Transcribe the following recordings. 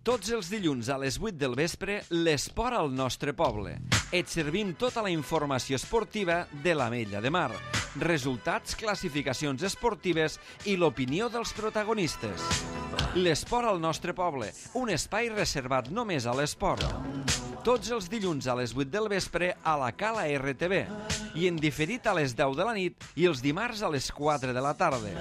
Tots els dilluns a les 8 del vespre, l'esport al nostre poble. Et servim tota la informació esportiva de l'Ametlla de Mar. Resultats, classificacions esportives i l'opinió dels protagonistes. L'esport al nostre poble, un espai reservat només a l'esport. Tots els dilluns a les 8 del vespre a la Cala RTV i en diferit a les 10 de la nit i els dimarts a les 4 de la tarda.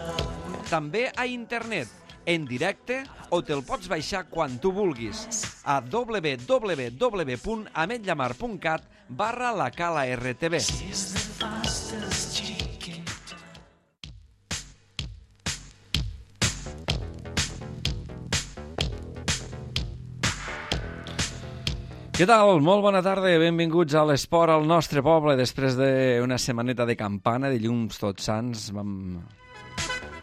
També a internet, en directe o te'l pots baixar quan tu vulguis a www.ametllamar.cat/la Cala RTV. Què tal? Molt bona tarda, benvinguts a l'esport al nostre poble. Després d'una setmaneta de campana, dilluns tots sants, vam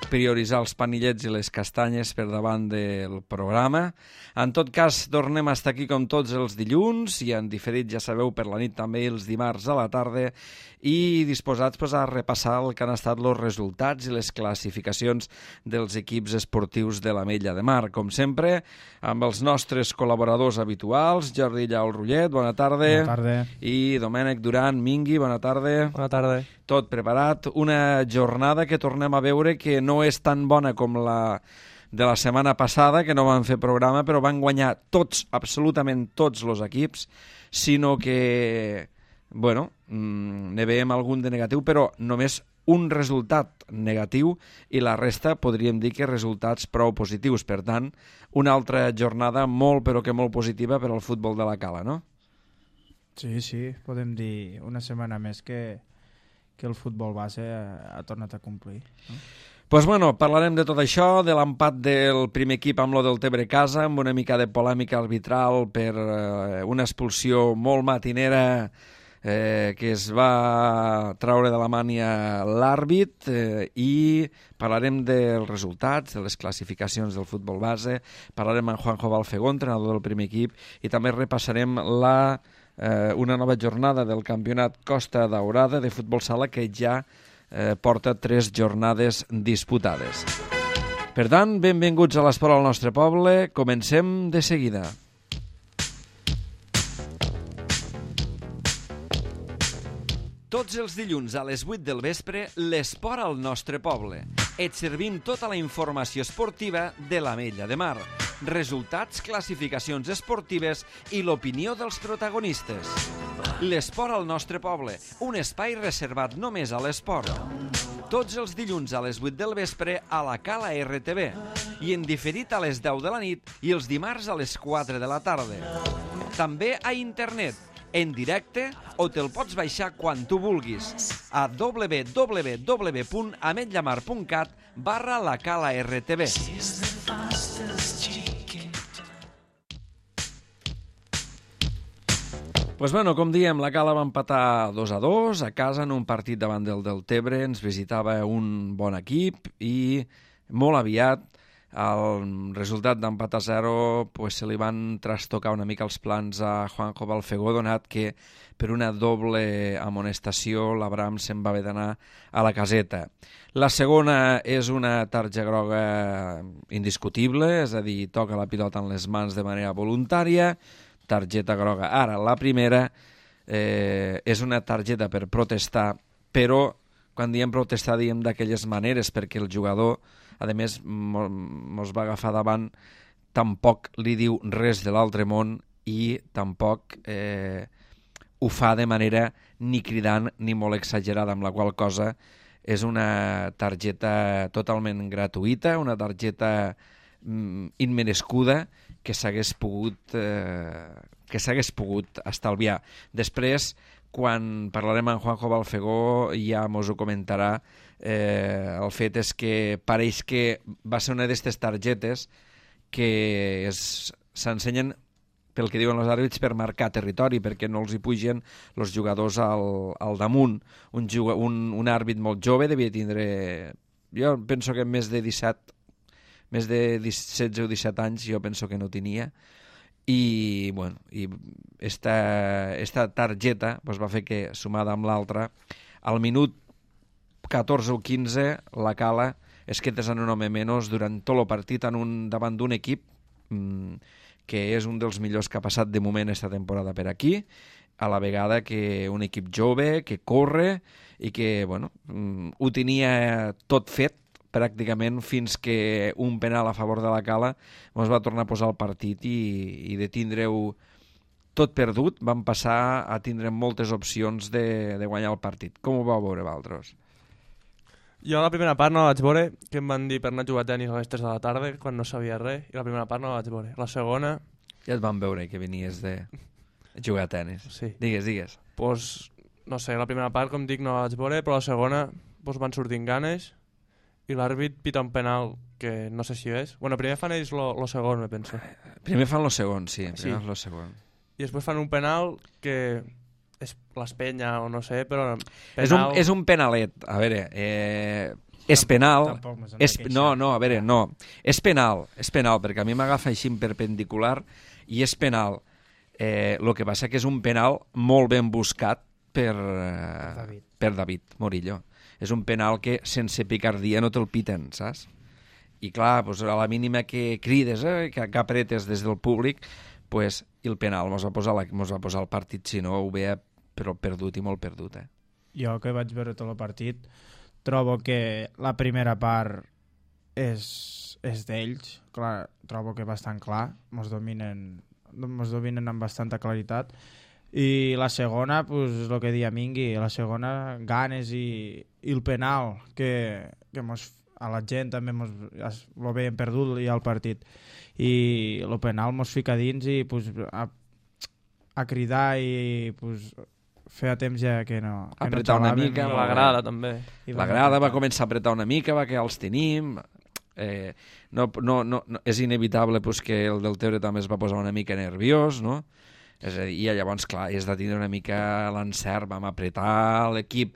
prioritzar els panillets i les castanyes per davant del programa. En tot cas, tornem a estar aquí com tots els dilluns i en diferit, ja sabeu, per la nit també els dimarts a la tarda i disposats a repassar el que han estat els resultats i les classificacions dels equips esportius de l'Ametlla de Mar. Com sempre, amb els nostres col·laboradors habituals, Jordi Llaul Rullet, bona tarda. Bona tarda. I Domènec Duran Mingui, bona tarda. Bona tarda. Tot preparat. Una jornada que tornem a veure que no és tan bona com la de la setmana passada, que no van fer programa, però van guanyar tots, absolutament tots els equips, sinó que, bueno, ne veiem algun de negatiu, però només un resultat negatiu i la resta podríem dir que resultats prou positius. Per tant, una altra jornada molt, però que molt positiva per al futbol de la Cala, no? Sí, podem dir una setmana més que el futbol base ha tornat a complir, no? Pues bueno, parlarem de tot això, de l'empat del primer equip amb lo del Tebre Casa, amb una mica de polèmica arbitral per una expulsió molt matinera que es va traure de la mània l'àrbit i parlarem dels resultats, de les classificacions del futbol base, parlarem amb Juanjo Balfegó, entrenador del primer equip, i també repassarem una nova jornada del campionat Costa Daurada de futbol sala que ja porta 3 jornades disputades. Per tant, benvinguts a l'esport al nostre poble. Comencem de seguida. Tots els dilluns a les 8 del vespre, l'esport al nostre poble. Et servim tota la informació esportiva de l'Ametlla de Mar. Resultats, classificacions esportives i l'opinió dels protagonistes. L'esport al nostre poble, un espai reservat només a l'esport. Tots els dilluns a les 8 del vespre a la Cala RTV i en diferit a les 10 de la nit i els dimarts a les 4 de la tarda. També a internet, en directe o te'l pots baixar quan tu vulguis a www.ametllamar.cat/la Cala RTV. Pues bueno, com diem, la Cala va empatar 2-2 a casa en un partit davant del Tebre. Ens visitava un bon equip i molt aviat el resultat d'empat a 0 pues, se li van trastocar una mica els plans a Juanjo Balfegó, donat que per una doble amonestació l'Abram se'n va haver d'anar a la caseta. La segona és una targeta groga indiscutible, és a dir, toca la pilota en les mans de manera voluntària, targeta groga. Ara, la primera és una targeta per protestar, però quan diem protestar diem d'aquelles maneres, perquè el jugador, a més, mos va agafar davant, tampoc li diu res de l'altre món i tampoc ho fa de manera ni cridant ni molt exagerada, amb la qual cosa és una targeta totalment gratuïta, una targeta immerescuda que s'hagués pogut estalviar. Després, quan parlarem amb Juanjo Balfegó, ja mos ho comentarà. El fet és que pareix que va ser una d'aquestes targetes que s'ensenyen, pel que diuen els àrbits, per marcar territori, perquè no els hi pugen els jugadors al damunt. Un àrbit molt jove devia tindre, jo penso que més de 16 o 17 anys, jo penso que no tenia, i bueno, esta targeta va fer que, sumada amb l'altra, al minut 14 o 15 la Cala es quedés en un home menys durant tot el partit davant d'un equip que és un dels millors que ha passat de moment esta temporada per aquí, a la vegada que un equip jove, que corre i que, bueno, ho tenia tot fet pràcticament fins que un penal a favor de la Cala ens va tornar a posar el partit i de tindre-ho tot perdut vam passar a tindre moltes opcions de guanyar el partit. Com ho vau veure, vosaltres? Jo la primera part no la vaig veure, que em van dir per anar a jugar a tenis a les 3 de la tarda, quan no sabia res, i la primera part no la vaig veure. La segona... Ja et van veure que venies de jugar a tenis. Sí. Digues. Pues, no sé, la primera part, com dic, no la vaig veure, però la segona pues, van sortint ganes i l'àrbit pita un penal que no sé si és. Bueno, primer fan ells lo segon, me penso. Primer fan lo segon, sí. Primer fan lo segon. I després fan un penal que és l'espenya o no sé, però... Penal... És un penalet. A veure, és penal... a veure, no. És penal, perquè a mi m'agafa així en perpendicular i és penal. El que passa que és un penal molt ben buscat per David Morillo. És un penal que sense picardia no te'l piten, saps? I clar, doncs a la mínima que crides, que apretes des del públic, pues, i el penal mos va posar el partit, si no ho veia però perdut i molt perdut. Jo que vaig veure tot el partit trobo que la primera part és d'ells, clar, trobo que bastant clar, mos dominen amb bastanta claritat, i la segona, pues, el que deia Mingui, la segona ganes i el penal que a la gent també lo veien perdut i al partit, i el penal mos fica dins i pues, a cridar i pues, feia temps ja que no apretar una mica, la grada també. La grada va començar a apretar una mica, va que els tenim. No, és inevitable pues, que el del Tebre també es va posar una mica nerviós, no? És a dir, i llavors, clar, és de tindre una mica l'encert, vam apretar l'equip,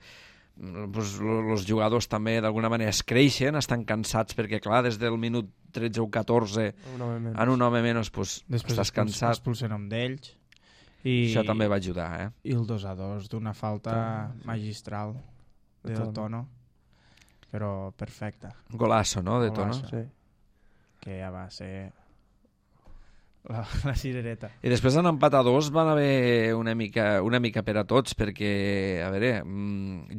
els jugadors també d'alguna manera es creixen, estan cansats perquè, clar, des del minut 13 o 14 en un home menys pues, estàs cansat. Després expulsen un d'ells. Això també va ajudar, I el 2-2 d'una falta magistral del Tono, però perfecta. Golazo, no?, de Tono. Sí. Que ja va ser la cirereta. I després en empat a 2 van haver una mica per a tots, perquè, a veure,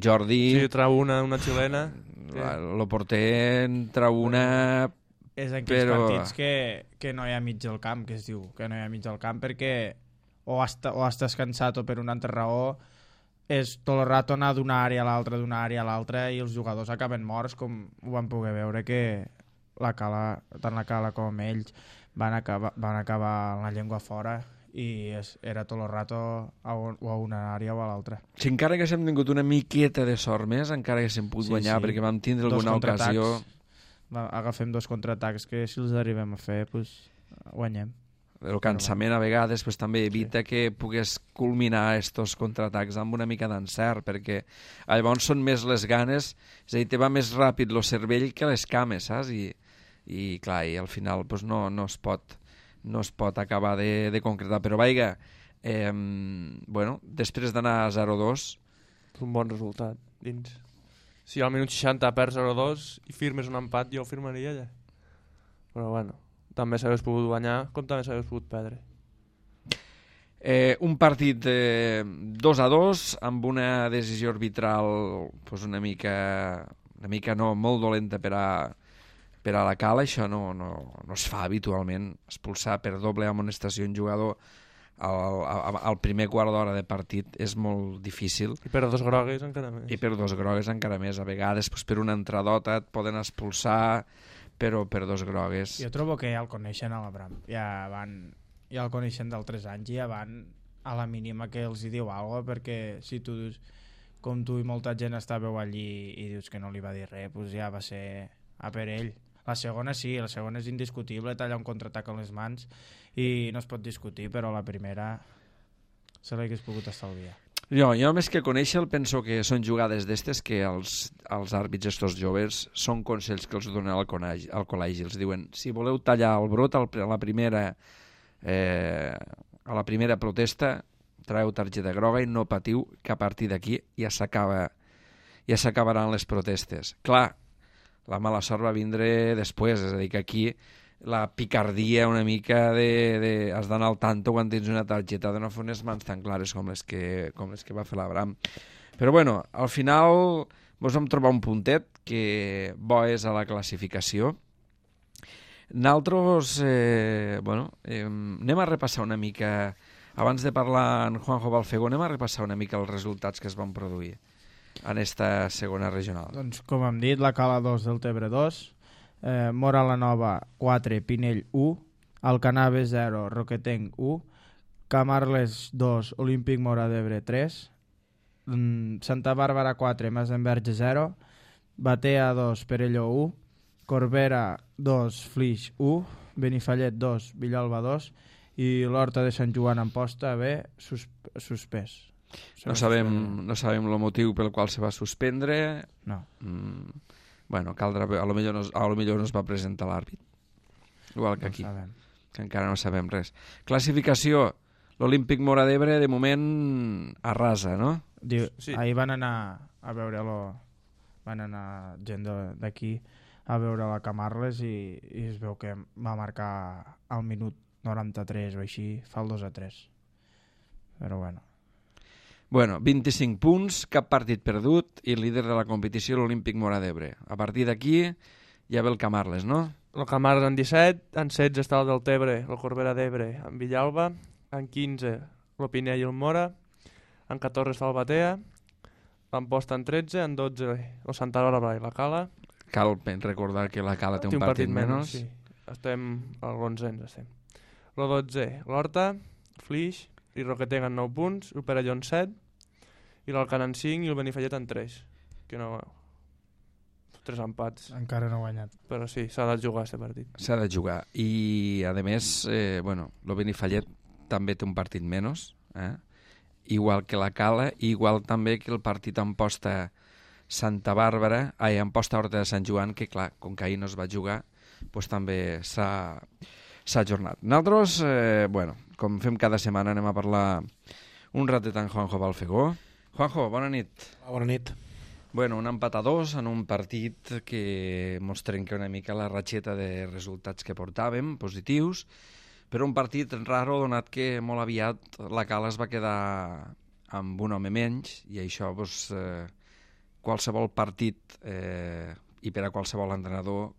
Jordi... Sí, trau una xilena. El porter trau una... És en aquells partits que no hi ha mig al camp, que es diu, que no hi ha mig al camp, perquè o estàs cansat o per una altra raó és tot el rato anar d'una àrea a l'altra i els jugadors acaben morts, com ho vam poder veure que tant la Cala com ells van acabar amb la llengua fora i era tot el rato o a una àrea o a l'altra. Si encara que hem tingut una miqueta de sort més, encara que s'hem pogut guanyar, perquè vam tindre alguna ocasió... Agafem 2 contraatacs que si els arribem a fer, pues, guanyem. El cansament a vegades pues, també evita que pugues culminar estos contraatacs amb una mica d'encert, perquè llavors són més les ganes, és a dir, te va més ràpid el cervell que les cames, saps? I clar, i al final pues, no es pot acabar de concretar, però vaiga, bueno, després d'anar a 0-2... Un bon resultat, dins. Si al minut 60 perds 0-2 i firmes un empat, jo firmaria ja. Però bueno... també s'hagués pogut guanyar, com també s'hagués pogut perdre. Un partit 2-2 amb una decisió arbitral pues una mica no, molt dolenta per a la Cala. Això no es fa habitualment, expulsar per doble amonestació un jugador al primer quart d'hora de partit és molt difícil. I per 2 grogues encara més. A vegades pues, per una entradota et poden expulsar, però per 2 grogues. Jo trobo que ja el coneixen a l'Abram, ja el coneixen d'altres anys i ja van a la mínima que els hi diu alguna cosa, perquè si tu dius, com tu i molta gent estàveu allí i dius que no li va dir res, doncs ja va ser a per ell. La segona sí, la segona és indiscutible, talla un contraatac amb les mans i no es pot discutir, però la primera se l'hagués pogut estalviar. Jo més que conèixer penso que són jugades d'estes que els àrbits estos joves són consells que els donen al col·legi. Els diuen, si voleu tallar el brot a la primera protesta, traeu targeta groga i no patiu, que a partir d'aquí ja s'acabaran les protestes. Clar, la mala sort va vindre després, és a dir, que aquí la picardia una mica has d'anar al tanto quan tens una targeta de no fer unes mans tan clares com les que va fer l'Abraham. Però bueno, al final ens vam trobar un puntet que bo és a la classificació. Nosaltres, anem a repassar una mica, abans de parlar en Juanjo Balfegó, anem a repassar una mica els resultats que es van produir en esta segona regional. Doncs, com hem dit, la Cala 2 del Tebre 2, Mora la Nova 4, Pinell 1, Alcanave 0, Roquetenc 1, Camarles 2, Olímpic Mora d'Ebre 3, Santa Bàrbara 4, Masenverge 0, Batea 2, Perelló 1, Corbera 2, Flix 1, Benifallet 2, Villalba 2 i l'Horta de Sant Joan Amposta B suspès. No sabem el motiu pel qual se va suspendre. No. Bueno, caldrà, a lo millor no es va presentar l'àrbit. Igual que aquí, que encara no sabem res. Classificació, l'Olímpic Mora d'Ebre de moment arrasa, no? Sí. Ahir van anar a veure-lo, van anar gent d'aquí a veure la Camarles i es veu que va marcar al minut 93 o així, fa el 2-3. Però bueno. Bueno, 25 punts, cap partit perdut i el líder de la competició l'Olímpic Mora d'Ebre. A partir d'aquí ja ve el Camarles, no? El Camarles en 17, en 16 està el del Tebre, el Corbera d'Ebre, en Villalba, en 15 l'Opinell i el Mora, en 14 està el Batea, l'Amposta en 13, en 12 el Santa Bàrbara i la Cala. Cal recordar que la Cala té un partit menys. Sí. Estem a l'11 estem. El 12 l'Horta, Flix i Roquetenc en 9 punts, el Perelló en 7 i l'Alcan en 5 i el Benifallet en 3. Que no... 3 empats. Encara no ha guanyat. Però sí, s'ha de jugar aquest partit. S'ha de jugar. I, a més, el Benifallet també té un partit menys, igual que la Cala, i igual també que el partit Amposta Santa Bàrbara, Amposta Horta de Sant Joan, que clar, com que ahir no es va jugar, doncs també s'ha ajornat. Nosaltres, com fem cada setmana, anem a parlar un ratet amb Juanjo Balfegó. Juanjo, bona nit. Bona nit. Bueno, un empat a 2 en un partit que ens trenca una mica la ratxeta de resultats que portàvem, positius, però un partit raro donat que molt aviat la Cala es va quedar amb un home menys i això, qualsevol partit i per a qualsevol entrenador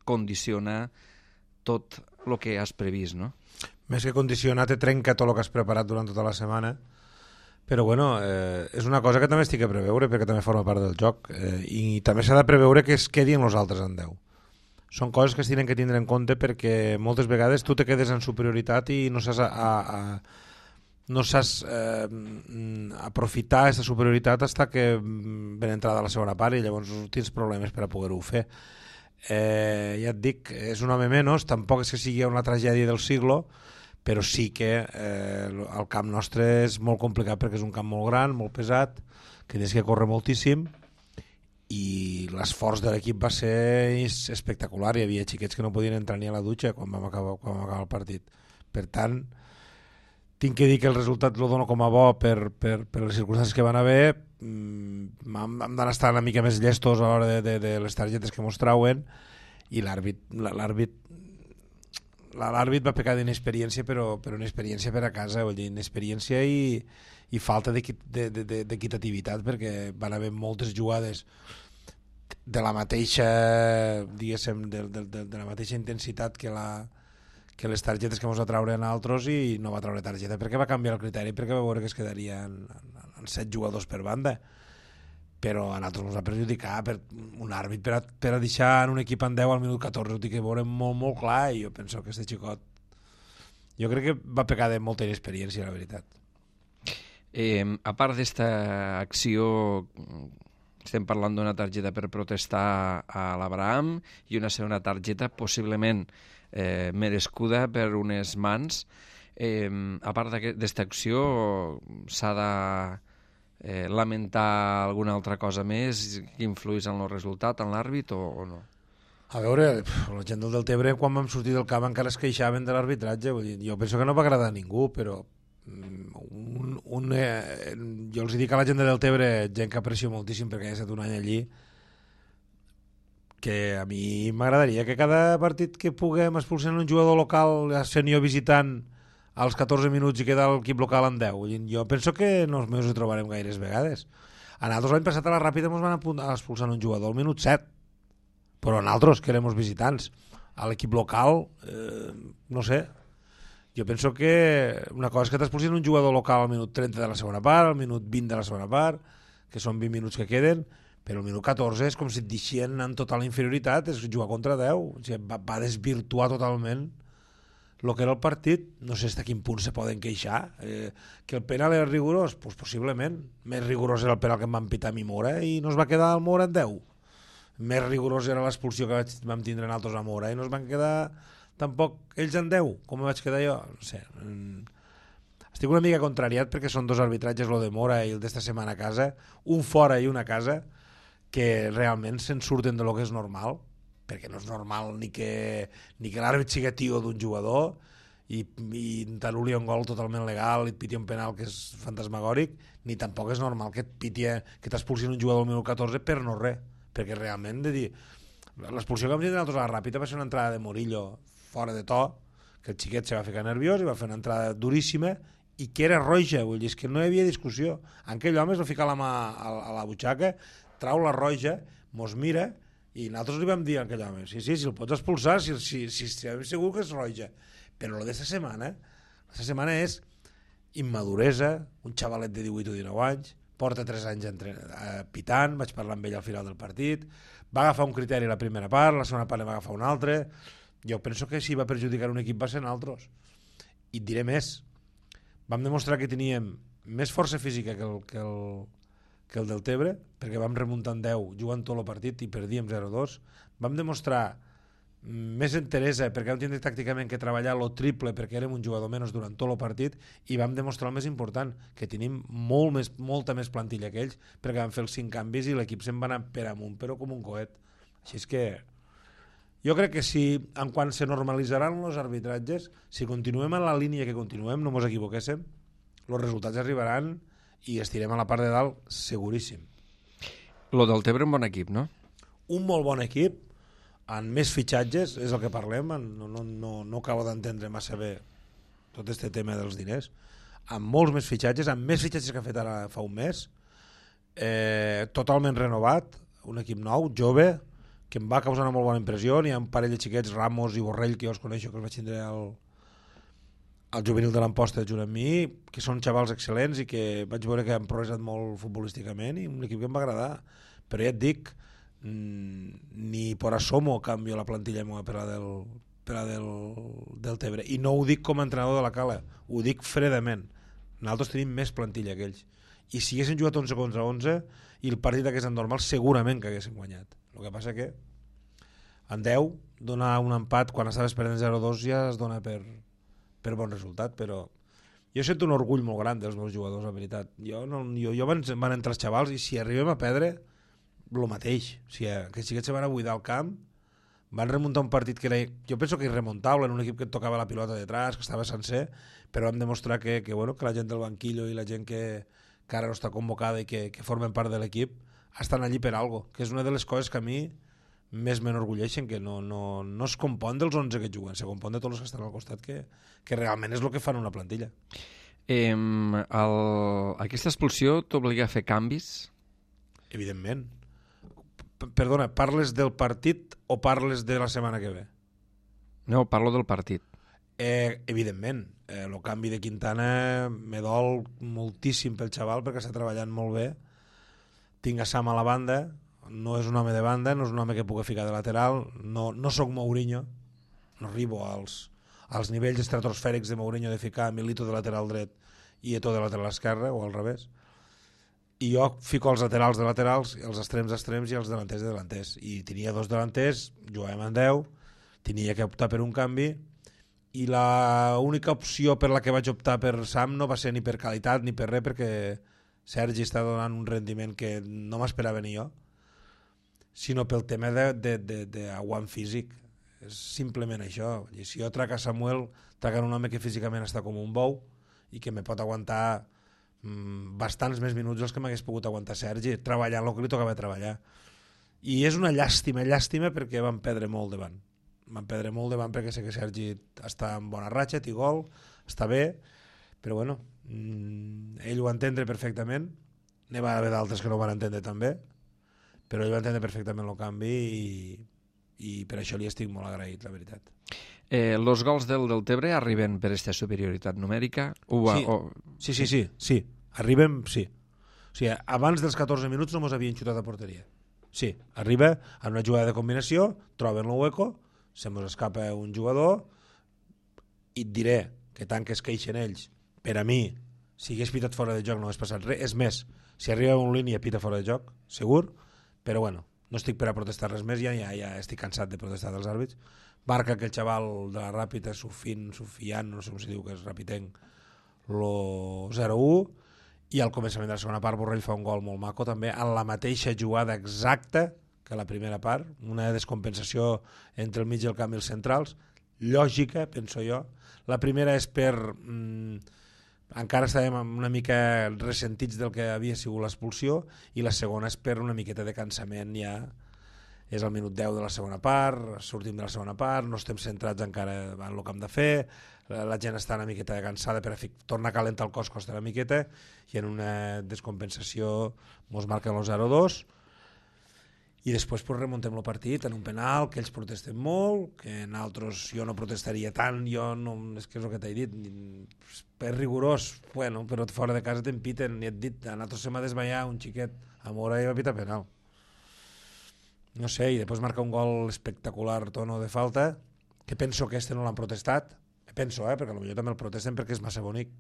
condiciona tot el que has previst, no? Més que condicionar, te trenca tot el que has preparat durant tota la setmana, però bueno, és una cosa que també estic a preveure perquè també forma part del joc i també s'ha de preveure que es quedi en els altres en 10. Són coses que es tenen que tindre en compte perquè moltes vegades tu te quedes en superioritat i no saps aprofitar aquesta superioritat fins que ben entrada la segona part i llavors tens problemes per a poder-ho fer. Ja et dic, és un home menys, tampoc és que sigui una tragèdia del siglo, però sí que el camp nostre és molt complicat perquè és un camp molt gran, molt pesat, que tens que córrer moltíssim i l'esforç de l'equip va ser espectacular. Hi havia xiquets que no podien entrar ni a la dutxa quan vam acabar el partit. Per tant, tinc que dir que el resultat el dono com a bo per les circumstàncies que van haver. Hem d'anar estar una mica més llestos a l'hora de les targetes que mos trauen i l'àrbit va pecar d'inexperiència, però una experiència per a casa, vull dir, inexperiència i falta d'equitativitat, perquè van haver moltes jugades de la mateixa, diguéssim, de la mateixa intensitat que les targetes que ens va treure en altres i no va treure targeta, perquè va canviar el criteri, perquè va veure que es quedaria en 7 jugadors per banda, però a nosaltres ens va perjudicar per un àrbit per a deixar en un equip en 10 al minut 14, ho tinc que veure molt, molt clar, i jo penso que aquest xicot jo crec que va pecar de molta inexperiència, la veritat. A part d'esta acció, estem parlant d'una targeta per protestar a l'Abraham i una segona targeta possiblement merescuda per unes mans. A part d'esta acció s'ha de lamentar alguna altra cosa més que influís en el resultat, en l'àrbit o no? A veure, la gent del Tebre quan vam sortir del camp encara es queixaven de l'arbitratge, jo penso que no va agradar a ningú, però jo els dic a la gent del Tebre, gent que aprecio moltíssim perquè ha estat un any allí, que a mi m'agradaria que cada partit que puguem expulsar un jugador local sènior visitant als 14 minuts i quedar l'equip local en 10. Jo penso que no ens ho trobarem gaires vegades. A nosaltres l'any passat a la Ràpida ens van expulsar un jugador al minut 7, però a nosaltres, que érem els visitants. A l'equip local, no sé, jo penso que una cosa és que t'expulsin un jugador local al minut 30 de la segona part, al minut 20 de la segona part, que són 20 minuts que queden, però el minut 14 és com si et deixien en total inferioritat, és jugar contra 10, o sigui, va desvirtuar totalment el que era el partit. No sé fins a quin punt se poden queixar. Que el penal era rigorós? Pues possiblement. Més rigorós era el penal que em van pitar a mi Mora i no es va quedar el Mora en 10. Més rigorós era l'expulsió que vam tindre nosaltres a Mora i no es van quedar tampoc ells en 10, com vaig quedar jo. No sé. Estic una mica contrariat perquè són dos arbitratges, el de Mora i el d'esta setmana a casa, un fora i un a casa, que realment se'n surten de lo que és normal, perquè no és normal ni que l'àrbit sigui tio d'un jugador i t'anul·li un gol totalment legal i et piti un penal que és fantasmagòric, ni tampoc és normal que t'expulsin un jugador al minut 14 per no res, perquè realment de dir, l'expulsió que vam dir nosaltres a la Ràpida va ser una entrada de Murillo fora de to, que el xiquet se va ficar nerviós i va fer una entrada duríssima i que era roja, vull dir, és que no hi havia discussió. Aquell home es va ficar la mà a la butxaca, trau la roja, mos mira i nosaltres li vam dir a aquell home, sí, el pots expulsar si estem segur que és roja. Però el d'esta setmana és immaduresa, un xavalet de 18 o 19 anys, porta 3 anys pitant, vaig parlar amb ell al final del partit, va agafar un criteri la primera part, la segona part va agafar un altre. Jo penso que si va perjudicar un equip va ser nosaltres. I et diré més, vam demostrar que teníem més força física que el del Tebre, perquè vam remuntar en 10 jugant tot el partit i perdíem 0-2. Vam demostrar més enteresa perquè vam tindre tàcticament que treballar lo triple perquè érem un jugador menys durant tot el partit i vam demostrar el més important, que tenim molta més plantilla que ells, perquè vam fer els 5 canvis i l'equip se'n va anar per amunt, però com un coet. Així és que jo crec que si en quan se normalitzaran els arbitratges, si continuem en la línia que continuem, no ens equivoquéssim, els resultats arribaran i estirem a la part de dalt seguríssim. Lo del Tebre un bon equip, no? Un molt bon equip, amb més fitxatges, és el que parlem, no acabo d'entendre massa bé tot aquest tema dels diners, amb molts més fitxatges, que ha fet ara fa un mes, totalment renovat, un equip nou, jove, que em va causar una molt bona impressió. Hi ha un parell de xiquets, Ramos i Borrell, que jo els coneixo, que els vaig tindre al juvenil de l'Amposta junt amb mi, que són xavals excel·lents i que vaig veure que han progressat molt futbolísticament i un equip que em va agradar. Però ja et dic, ni por asomo canvio la plantilla per la del Tebre. I no ho dic com a entrenador de la Cala, ho dic fredament. Nosaltres tenim més plantilla que ells. I si haguessin jugat 11 contra 11 i el partit hagués estat normal, segurament que haguessin guanyat. El que passa que en 10 donar un empat quan estaves perdent 0-2 ja es dona per bon resultat, però jo sento un orgull molt gran dels meus jugadors, la veritat. Jo van entrar els xavals i si arribem a perdre, el mateix. O sigui, que xiquets se van a buidar el camp, van remuntar un partit que era, jo penso que irremontable, en un equip que et tocava la pilota detrás, que estava sencer, però vam demostrar que la gent del banquillo i la gent que ara no està convocada i que formen part de l'equip estan allí per algo, que és una de les coses que a mi més m'enorgulleixen, que no es compon dels 11 que juguen, se compon de tots els que estan al costat, que realment és el que fan una plantilla. Aquesta expulsió t'obliga a fer canvis? Evidentment. Perdona, parles del partit o parles de la setmana que ve? No, parlo del partit. Evidentment. El canvi de Quintana me dol moltíssim pel xaval perquè està treballant molt bé. Tinc a Sam a la banda, no és un home de banda, no és un home que pugui ficar de lateral, no sóc Mourinho, no arribo als nivells estratosfèrics de Mourinho de ficar Milito de lateral dret i Eto'o de lateral esquerre, o al revés. I jo fico els laterals de laterals, els extrems d'extrems i els delanters de delanters. I tenia 2 delanters, jugàvem en 10, tenia que optar per un canvi, i l'única opció per la que vaig optar per Sam no va ser ni per qualitat ni per res, perquè Sergi està donant un rendiment que no m'esperava ni jo, sinó pel tema d'aguant físic. És simplement això. I si jo trac a Samuel, trac un home que físicament està com un bou i que me pot aguantar bastants més minuts dels que m'hagués pogut aguantar Sergi, treballant el que li tocava treballar. I és una llàstima perquè van perdre molt davant. Van perdre molt davant perquè sé que Sergi està en bona ratxa, té gol, està bé, però bueno, ell ho va entendre perfectament. N'hi va haver d'altres que no ho van entendre també, però ell va entendre perfectament el canvi i per això li estic molt agraït, la veritat. Els gols del Deltebre arriben per aquesta superioritat numèrica? Sí. Arribem, sí. O sigui, abans dels 14 minuts no mos havien xutat a porteria. Sí, arriba en una jugada de combinació, troben el hueco, se mos escapa un jugador i et diré que tant que es queixen ells, per a mi, si hagués pitat fora de joc no hagués passat res. És més, si arriba un línia pita fora de joc, segur, però bueno, no estic per a protestar res més, ja estic cansat de protestar dels àrbits. Marca que el xaval de la Ràpita, Sufian, no sé com si diu que és rapitenc, lo 0-1, i al començament de la segona part Borrell fa un gol molt maco també, en la mateixa jugada exacta que la primera part, una descompensació entre el mig del camp i els centrals, lògica, penso jo. La primera és per... encara estàvem una mica ressentits del que havia sigut l'expulsió, i la segona és per una miqueta de cansament ja. És el minut 10 de la segona part, sortim de la segona part, no estem centrats encara en el que hem de fer, la gent està una miqueta cansada, per tornar a calentar el cos costa una miqueta, i en una descompensació mos marquen el 0-2, i després pues, remuntem el partit en un penal, que ells protesten molt, que nosaltres jo no protestaria tant, és que és el que t'he dit, és rigorós, bueno, però fora de casa t'empiten, i et dit, a nosaltres se m'ha desmaiat un xiquet, a Mora i va pitar penal. No sé, i després marca un gol espectacular, Tono, de falta, que penso que este no l'han protestat, penso, perquè potser també el protesten perquè és massa bonic,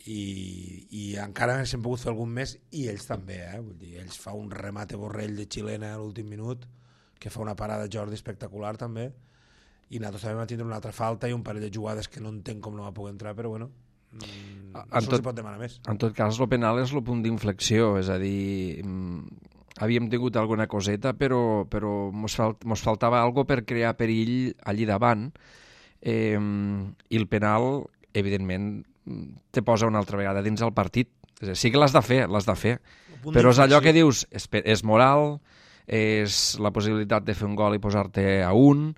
i encara s'han pogut fer algun més, i ells també, vull dir, ells fa un remate Borrell de xilena a l'últim minut, que fa una parada Jordi espectacular també, i nosaltres també vam tindre una altra falta i un parell de jugades que no entenc com no va poder entrar, però bueno, no se'ls pot demanar més. En tot cas, el penal és el punt d'inflexió, és a dir, havíem tingut alguna coseta, però mos faltava algo per crear perill allí davant, i el penal, evidentment, te posa una altra vegada dins el partit. És a dir, sí que l'has de fer, però és allò que dius, és moral, és la possibilitat de fer un gol i posar-te a un,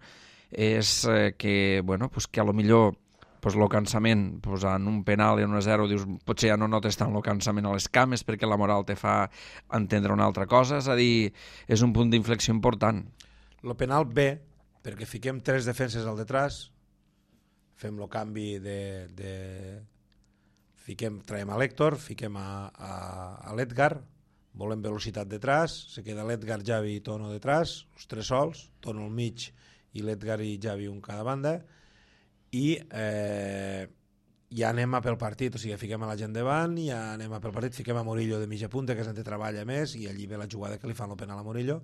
és que, bueno, pues que a lo millor pues el cansament, pues en un penal i en un 0 dius, potser ja no notes tant el cansament a les cames perquè la moral te fa entendre una altra cosa, és a dir, és un punt d'inflexió important. El penal bé, perquè fiquem 3 defenses al detrás, fem el canvi traiem a l'Héctor, fiquem a l'Edgar, volem velocitat detrás, se queda l'Edgar, Javi i Tono detrás, els 3 sols, Tono al mig i l'Edgar i Javi un cada banda, i ja anem a pel partit, o sigui, fiquem a la gent davant, ja anem a pel partit, fiquem a Murillo de mitja punta, que és on treballa més, i allí ve la jugada que li fan el penal a Murillo,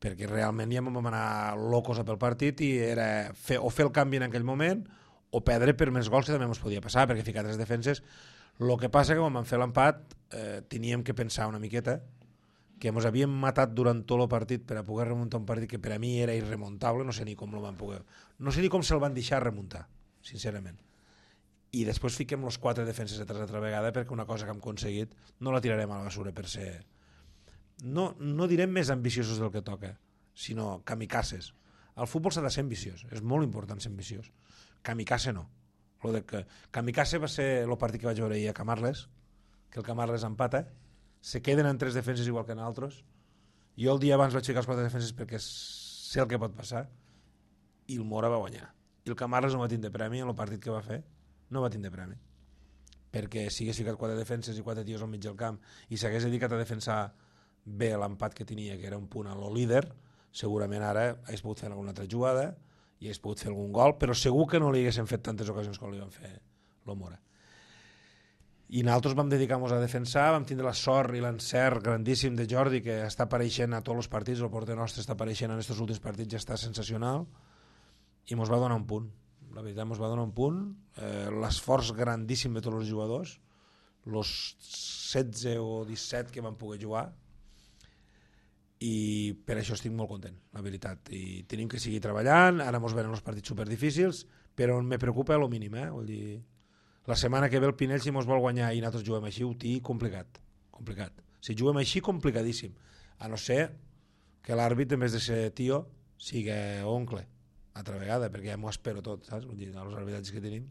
perquè realment ja vam anar locos a pel partit i era fer el canvi en aquell moment o perdre per més gols, que també ens podia passar, perquè ficar 3 defenses. El que passa que quan vam fer l'empat teníem que pensar una miqueta que ens havíem matat durant tot el partit per a poder remuntar un partit que per a mi era irremontable, no sé ni com se'l van deixar remuntar, sincerament. I després fiquem els 4 defenses detrás altra vegada, perquè una cosa que hem aconseguit no la tirarem a la basura per ser... No direm més ambiciosos del que toca, sinó kamikazes. Al futbol s'ha de ser ambiciós, és molt important ser ambiciós. Kamikaze no. Kamikaze va ser el partit que vaig veure ahir a Camarles, que el Camarles empata, se queden en 3 defenses igual que nosaltres. Jo el dia abans vaig ficar els 4 defenses perquè sé el que pot passar, i el Mora va guanyar. I el Camarles no va tindre premi en el partit que va fer, no va tindre premi. Perquè si hagués ficat 4 defenses i 4 tios al mig del camp i s'hagués dedicat a defensar bé l'empat que tenia, que era un punt a lo líder, segurament ara hagués pogut fer alguna altra jugada i hagués pogut fer algun gol, però segur que no li haguessin fet tantes ocasions com li van fer el Mora. I nosaltres vam dedicar-nos a defensar, vam tindre la sort i l'encert grandíssim de Jordi, que està apareixent a tots els partits, el porter nostre està apareixent en aquests últims partits, ja està sensacional, i ens va donar un punt. La veritat, ens va donar un punt, l'esforç grandíssim de tots els jugadors, els 16 o 17 que van poder jugar, i per això estic molt content, la veritat, i tenim que seguir treballant. Ara ens venen els partits superdifícils, però me preocupa el mínim, vull dir, la setmana que ve el Pinell, si ens vol guanyar i nosaltres juguem així, ho té complicat. Si juguem així, complicadíssim, a no ser que l'àrbit, en vez de ser tio, sigui oncle, altra vegada, perquè ja m'ho espero tot, saps? Vull dir, els arbitratges que tenim.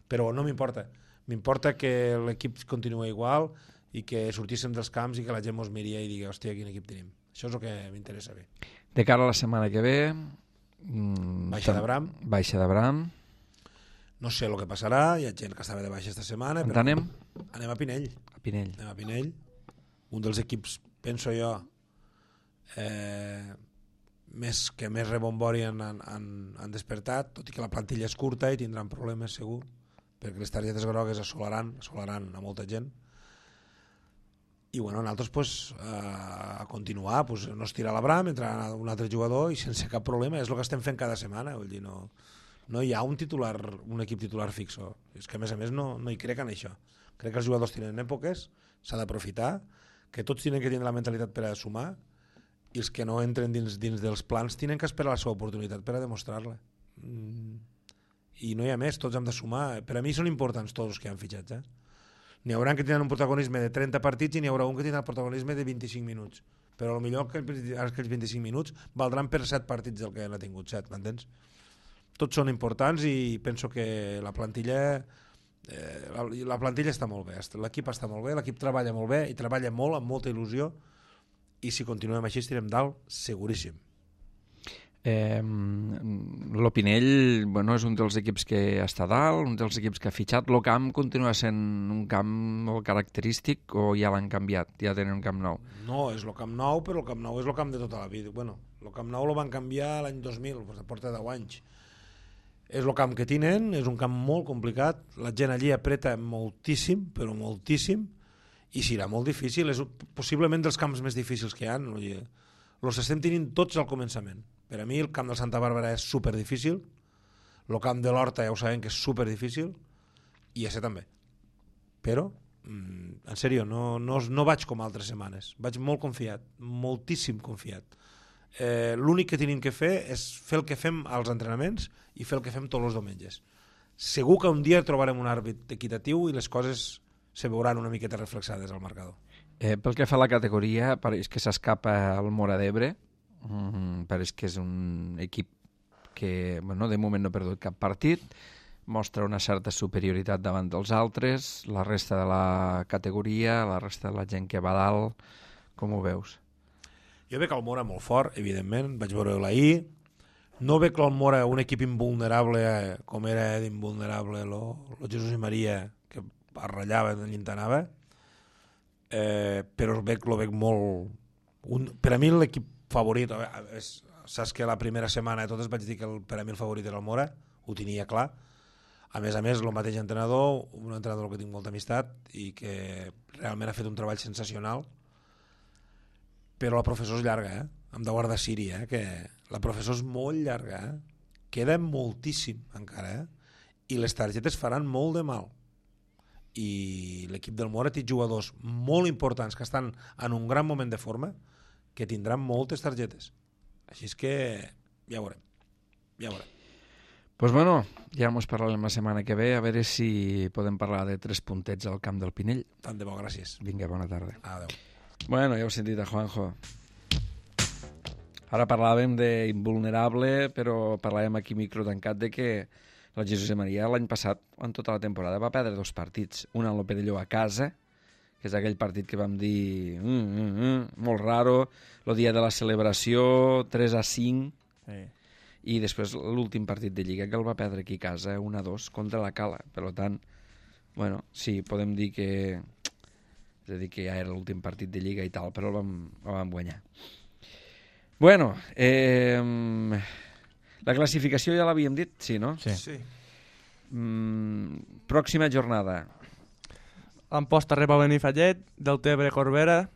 Però no m'importa. M'importa que l'equip continua igual i que sortíssim dels camps i que la gent mos miria i digui, hòstia, quin equip tenim. Això és el que m'interessa bé. De cara a la setmana que ve... Baixa de Bram. Baixa de Bram. No sé el que passarà, hi ha gent que estava de baixa esta setmana. On anem? Anem a Pinell. A Pinell. Anem a Pinell. Un dels equips, penso jo, que més rebombori han despertat, tot i que la plantilla és curta i tindran problemes segur, perquè les targetes grogues assolaran a molta gent. I bueno, nosaltres pues, a continuar, pues, no estirar la bram, entrar un altre jugador i sense cap problema, és el que estem fent cada setmana, vull dir, no hi ha un equip titular fixo, és que a més no hi crec en això, crec que els jugadors tenen èpoques, s'ha d'aprofitar, que tots tenen que tenir la mentalitat per a sumar i els que no entren dins dels plans tenen que esperar la seva oportunitat per a demostrar-la. I no hi ha més, tots hem de sumar. Per a mi són importants tots els que han fitxat. N'hi haurà que tindran un protagonisme de 30 partits i n'hi haurà un que tindrà el protagonisme de 25 minuts. Però potser aquells 25 minuts valdran per 7 partits del que n'ha tingut 7, m'entens? Tots són importants i penso que la plantilla està molt bé, l'equip està molt bé, l'equip treballa molt bé i treballa molt, amb molta il·lusió, i si continuem així estirem dalt, seguríssim. L'Opinell, bueno, és un dels equips que està dalt, un dels equips que ha fitxat. El camp continua sent un camp molt característic o ja l'han canviat, ja tenen un camp nou? No, és el camp nou, però el camp nou és el camp de tota la vida. Bueno, el camp nou el van canviar l'any 2000, porta 10 anys. És el camp que tenen, és un camp molt complicat, la gent allí apreta moltíssim, però moltíssim, i serà molt difícil, és possiblement dels camps més difícils que hi ha. Els estem tenint tots al començament. Per a mi el camp de Santa Bàrbara és superdifícil, el camp de l'Horta ja ho sabem que és superdifícil, i ese també. Però, en sèrio, no vaig com altres setmanes, vaig molt confiat, moltíssim confiat. L'únic que tenim que fer és fer el que fem als entrenaments i fer el que fem tots els diumenges. Segur que un dia trobarem un àrbit equitatiu i les coses se veuran una miqueta reflexades al marcador. Pel que fa a la categoria, pareix que s'escapa el Móra d'Ebre, pareix que és un equip que bueno, de moment no ha perdut cap partit, mostra una certa superioritat davant dels altres, la resta de la categoria, la resta de la gent que va dalt, com ho veus? Jo veig el Móra molt fort, evidentment, vaig veure-ho ahir. No veig el Móra un equip invulnerable com era d'invulnerable el Jesús i Maria, que arrellava i llintanava, però lo veig molt... Per a mi l'equip favorit, saps que la primera setmana de totes vaig dir que per a mi el favorit era el Móra, ho tenia clar. A més, el mateix entrenador, un entrenador que tinc molta amistat i que realment ha fet un treball sensacional, però la professor és llarga, hem de guardar Siri, que la professor és molt llarga, queda moltíssim encara, i les targetes faran molt de mal. I l'equip del Móra té jugadors molt importants que estan en un gran moment de forma que tindran moltes targetes. Així és que ja veurem. Pues bueno, ja ens parlarem la setmana que ve, a veure si podem parlar de 3 puntets al camp del Pinell. Tant de bo, gràcies. Vinga, bona tarda. Adéu. Bueno, ja heu sentit a Juanjo. Ara parlàvem d'invulnerable, però parlàvem aquí micro tancat de que la Jesús i Maria l'any passat, en tota la temporada, va perdre 2 partits. Un en l'Opedelló a casa, que és aquell partit que vam dir molt raro, el dia de la celebració, 3-5, Sí. i després l'últim partit de Lliga que el va perdre aquí a casa, 1-2 contra la Cala. Per tant, bueno, sí, podem dir que... És a dir, que ja era l'últim partit de Lliga i tal, però el vam guanyar. Bueno, la classificació ja l'havíem dit, sí, no? Sí. Pròxima jornada. Amposta rep a Benifallet, Deltebre Corbera,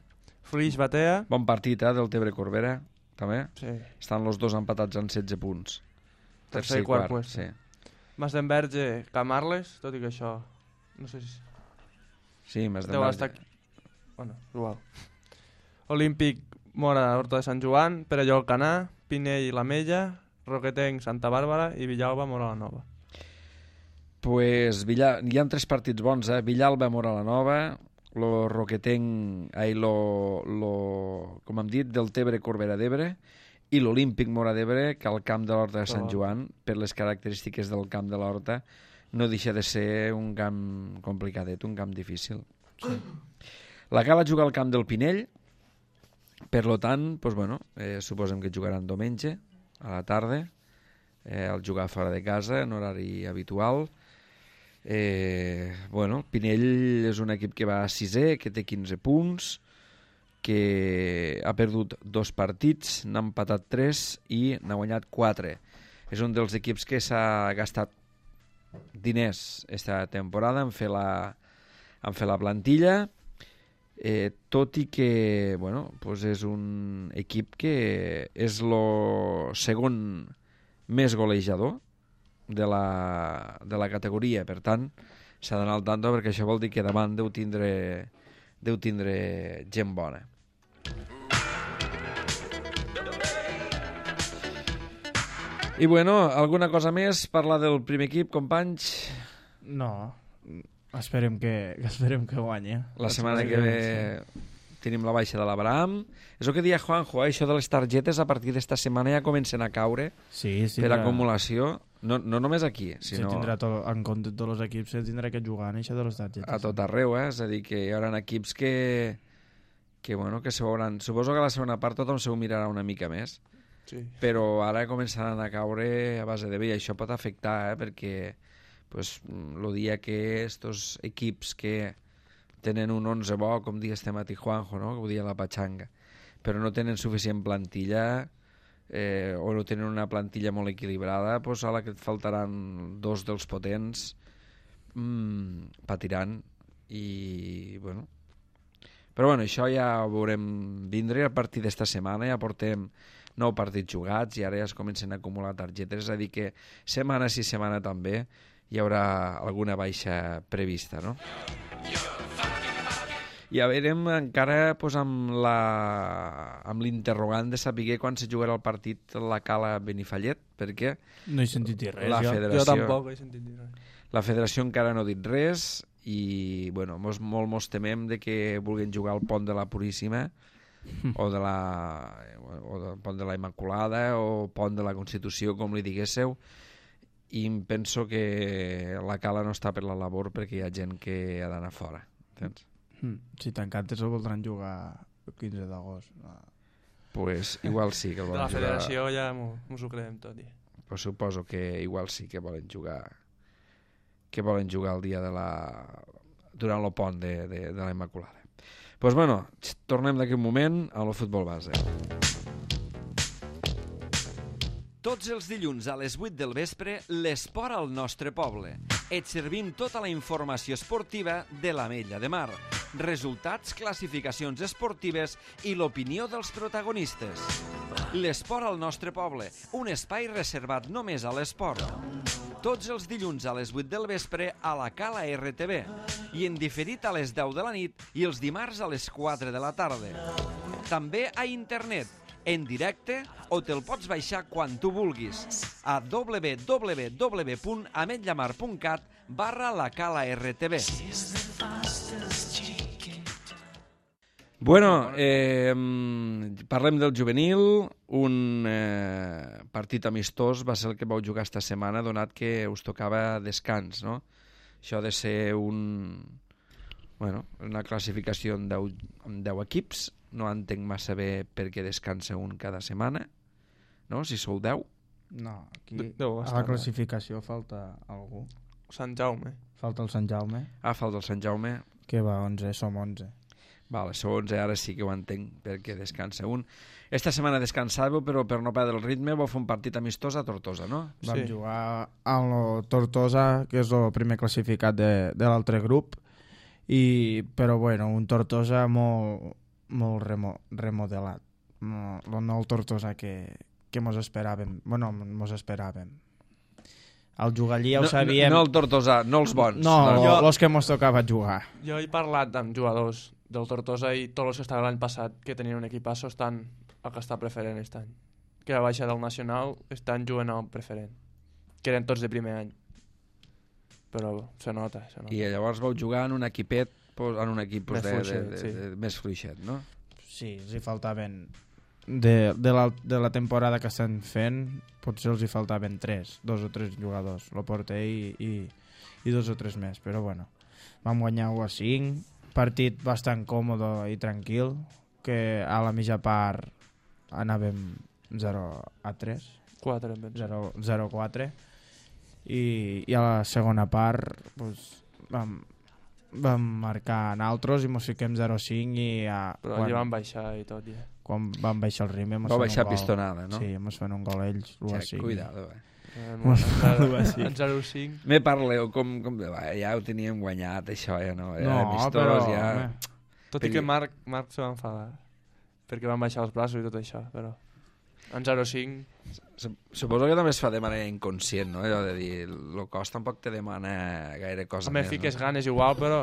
Flix Batea. Bon partit, del Tebre Corbera, també. Sí. Estan els dos empatats en 16 punts. Tercer i quart puesto. Sí. Masdenverge, Camarles, tot i que això... No sé si... Sí, més de deu estar... Bueno, igual. Olímpic, Mora, Horta de Sant Joan, Perelló, Alcanar, Pinell, La Mella, Roquetenc, Santa Bàrbara i Villalba, Mora la Nova. Pues hi ha 3 partits bons, Villalba, Mora la Nova, lo Roquetenc, com hem dit, del Tebre Corbera d'Ebre, i l'Olímpic Mora d'Ebre, que al camp de l'Horta de Sant Joan, per les característiques del camp de l'Horta, no deixa de ser un camp complicadet, un camp difícil. Sí. La Cala juga al camp del Pinell, per lo tant, doncs, bueno, suposem que jugaran diumenge, a la tarda, al jugar fora de casa, en horari habitual. Bueno, Pinell és un equip que va a 6è, que té 15 punts, que ha perdut 2 partits, n'ha empatat 3 i n'ha guanyat 4. És un dels equips que s'ha gastat diners esta temporada en fer la plantilla, tot i que bueno, pues és un equip que és el segon més golejador de la categoria, per tant s'ha d'anar al tanto, perquè això vol dir que davant deu tindre gent bona. I bueno, alguna cosa més? Parlar del primer equip, companys? No, esperem que guanyi. La setmana que ve tenim la baixa de l'Abraham. És el que deia Juanjo, això de les targetes a partir d'esta setmana ja comencen a caure per acumulació. No només aquí, sinó... En compte de tots els equips se tindrà que jugar en això de les targetes. A tot arreu, és a dir, que hi haurà equips que se veuran... Suposo que a la segona part tothom se ho mirarà una mica més, sí. Però ara començaran a caure a base de bé, i això pot afectar, perquè pues, el dia que estos equips que tenen un 11 bo, com diu este matí Juanjo, no? Que ho dia la Pachanga, però no tenen suficient plantilla, o no tenen una plantilla molt equilibrada, doncs a la que et faltaran 2 dels potents, patiran. I bueno, però bueno, això ja ho veurem vindre a partir d'esta setmana. Ja portem 9 partits jugats i ara ja es comencen a acumular targetes, és a dir que setmana sí setmana també hi haurà alguna baixa prevista, no? I a veurem encara pues, amb l'interrogant de saber quan se jugarà el partit la Cala Benifallet, perquè no he sentit dir res, jo tampoc he sentit dir res. La federació encara no ha dit res i bueno, mos temem de que vulguin jugar al Pont de la Puríssima o del Pont de la Immaculada o Pont de la Constitució, com li diguésseu, i penso que la Cala no està per la labor perquè hi ha gent que ha d'anar fora, entens? Si t'encantes el voldran jugar el 15 d'agost. Pues igual sí que el volen jugar. De la federació ja mos ho creiem tot. Pues suposo que igual sí que volen jugar el dia de durant el pont de la Immaculada. Pues bueno, tornem d'aquí un moment a lo futbol base. Tots els dilluns a les 8 del vespre, l'esport al nostre poble. Et servim tota la informació esportiva de l'Ametlla de Mar, resultats, classificacions esportives i l'opinió dels protagonistes. L'esport al nostre poble, un espai reservat només a l'esport. Tots els dilluns a les 8 del vespre a la Cala RTV i en diferit a les 10 de la nit i els dimarts a les 4 de la tarda. També a internet, en directe, o te'l pots baixar quan tu vulguis a www.ametllamar.cat/la-cala-rtv. Bueno, parlem del juvenil. Un partit amistós va ser el que vau jugar esta setmana, donat que us tocava descans, no? Això ha de ser una classificació amb 10 equips. No entenc massa bé per què descansa un cada setmana, no? Si sou 10. No, aquí a la classificació falta algú. Sant Jaume. Falta el Sant Jaume. Falta el Sant Jaume. Que va 11, som 11. Vale, sou 11, ara sí que ho entenc perquè descansa un. Esta setmana descansàveu, però per no perdre el ritme vau fer un partit amistós a Tortosa, no? Vam jugar a Tortosa, que és el primer classificat de l'altre grup, però bueno, un Tortosa molt remodelat. No el Tortosa que mos esperàvem. Bueno, mos esperàvem. Al jugar allí ja ho sabíem. No el Tortosa, no els bons. No, els que mos tocava jugar. Jo he parlat amb jugadors del Tortosa i tots els que estaven l'any passat que tenien un equipasso estan al que està preferent aquest any. Que la baixa del Nacional estan jugant al preferent. Que eren tots de primer any. Però se nota. I llavors vau jugar en un equipet en un equip pues, Més fluixet, sí. més fluixet, no? Sí, els hi faltaven de la temporada que estan fent, potser els hi faltaven 2 o 3 jugadors, el porter i 2 o 3 més, però bueno, vam guanyar 1-5, partit bastant còmode i tranquil, que a la mitja part anàvem 0-3, 0-4, i a la segona part pues, vam marcar naltros i mos fiquem 0-5 i però allà van baixar i tot ja. Quan van baixar el ritme va baixar pistonada, no? Sí, mos fan un gol ells, l'1-5. Cuidado, En 0-5 me parleu com ja ho teníem guanyat això, ja no? No, però ja... tot i que Marc se va enfadar perquè van baixar els braços i tot això, però en 0-5 suposo que també es fa de manera inconscient, no? Allò de dir, el cos tampoc te demana gaire cosa més. Fiques ganes igual, però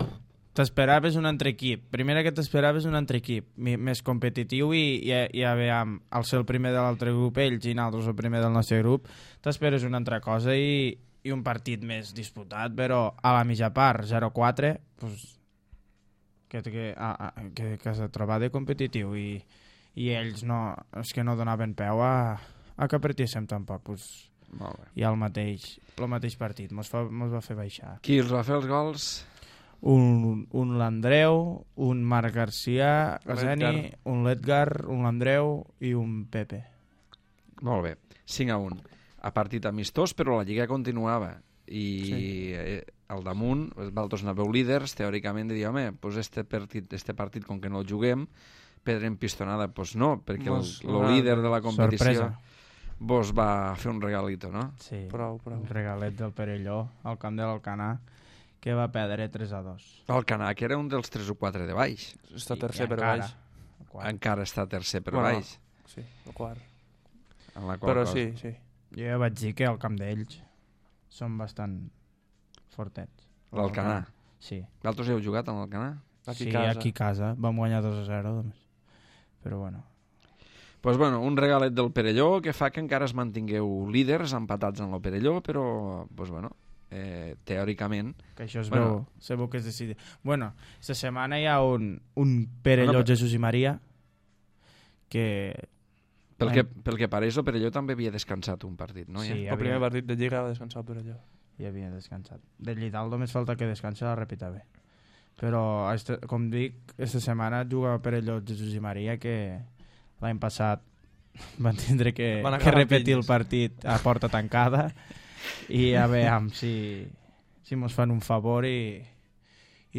t'esperaves un altre equip. Primera que t'esperaves un altre equip més competitiu i ja veiem, al ser el primer de l'altre grup ells i nosaltres el primer del nostre grup, t'esperes una altra cosa i un partit més disputat, però a la mitja part 0-4 pues, que s'ha trobat de competitiu i ells no, és que no donaven peu a que partíssim tampoc pues, molt bé. I el mateix partit mos va fer baixar. Qui els va fer els gols? Un l'Andreu, un Marc Garcia Gazeni, un l'Edgar, un l'Andreu i un Pepe. Molt bé, 5-1 a partit amistós, però la Lliga continuava i sí. Al damunt vosaltres anàveu líders, teòricament de dir, home, pues este partit com que no el juguem perdrem pistonada, pues no, perquè el líder de la competició vos va fer un regalito, no? Sí, prou. Un regalet del Perelló al camp de l'Alcanar que va perdre 3-2. L'Alcanar, que era un dels 3 o 4 de baix. Està tercer per baix. Encara està tercer per baix. Sí, el quart. Però sí. Jo ja vaig dir que al camp d'ells són bastant fortets. L'Alcanar? Sí. Vosaltres heu jugat amb l'Alcanar? Aquí a casa. Vam guanyar 2-0, però bueno. Pues bueno, un regalet del Perelló que fa que encara es mantingueu líders empatats en el Perelló, però pues bueno, teòricament... Que això es veu que es decidi. Bueno, esta setmana hi ha un Perelló Jesús i Maria que... Pel que pareix, el Perelló també havia descansat un partit, no? Sí, el primer partit de Lliga va descansar el Perelló. I havia descansat. De Llidal només falta que descansa la repita bé. Però, com dic, aquesta setmana juga Perelló Jesús i Maria que l'any passat van tindre que repetir el partit a porta tancada i a veure si mos fan un favor i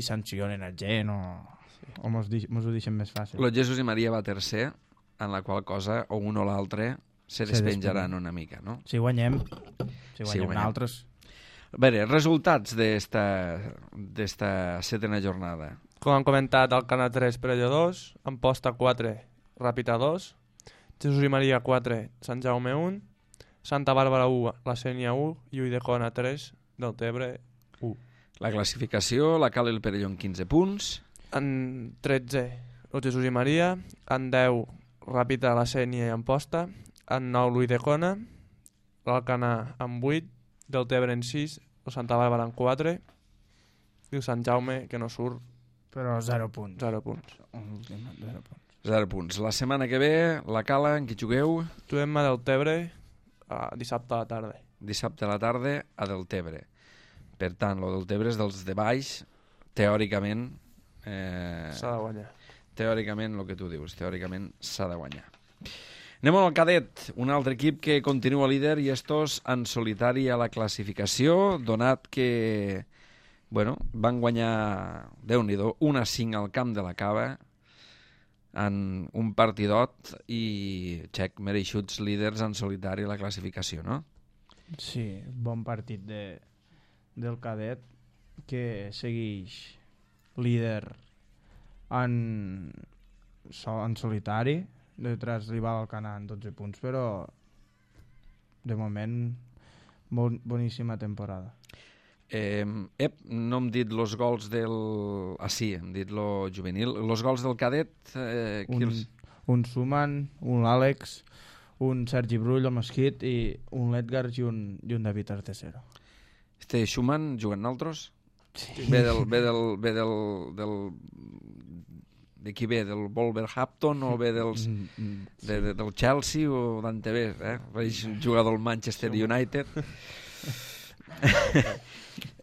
sancionen a gent o mos ho deixen més fàcil. El Jesús i Maria va tercer, en la qual cosa o un o l'altre se despenjaran una mica, no? Si guanyem nosaltres. A veure, resultats d'esta setena jornada. Com hem comentat, Alcanar 3, Perelló 2, Amposta 4, Ràpita 2, Jesús i Maria 4, Sant Jaume 1, Santa Bàrbara 1, La Sénia 1 i Ulldecona 3, Deltebre 1. La classificació la cal el Perelló en 15 punts. En 13, el Jesús i Maria, en 10, Ràpita, La Sénia i Amposta, en 9, l'Ulldecona, l'Alcanar en 8, Deltebre en 6, el Santa Bàrbara en 4 i el Sant Jaume, que no surt, però 0 punts. 0 punts. 0 punts. La setmana que ve, la Cala, en qui jugueu? Juguem a Deltebre dissabte a la tarda. Dissabte a la tarda a Deltebre. Per tant, el Deltebre és dels de baix, teòricament... s'ha de guanyar. Teòricament, el que tu dius, teòricament s'ha de guanyar. Anem al cadet, un altre equip que continua líder i estos en solitari a la classificació, donat que van guanyar, Déu-n'hi-do, 1-5 al camp de la Cava en un partidot i mereixuts líders en solitari a la classificació, no? Sí, bon partit del cadet que segueix líder en solitari, detrás rival Alcanar en 12 punts, però de moment boníssima temporada. No hem dit els gols del... sí, hem dit lo juvenil. Els gols del cadet... Un Suman, un Àlex, un Sergi Brull, el Mosquit, i un l'Edgar i un David Artesero. Schumann juguen altres? Ve de qui ve? Del Wolverhampton o ve del Chelsea o d'on te ve? És un jugador del Manchester United.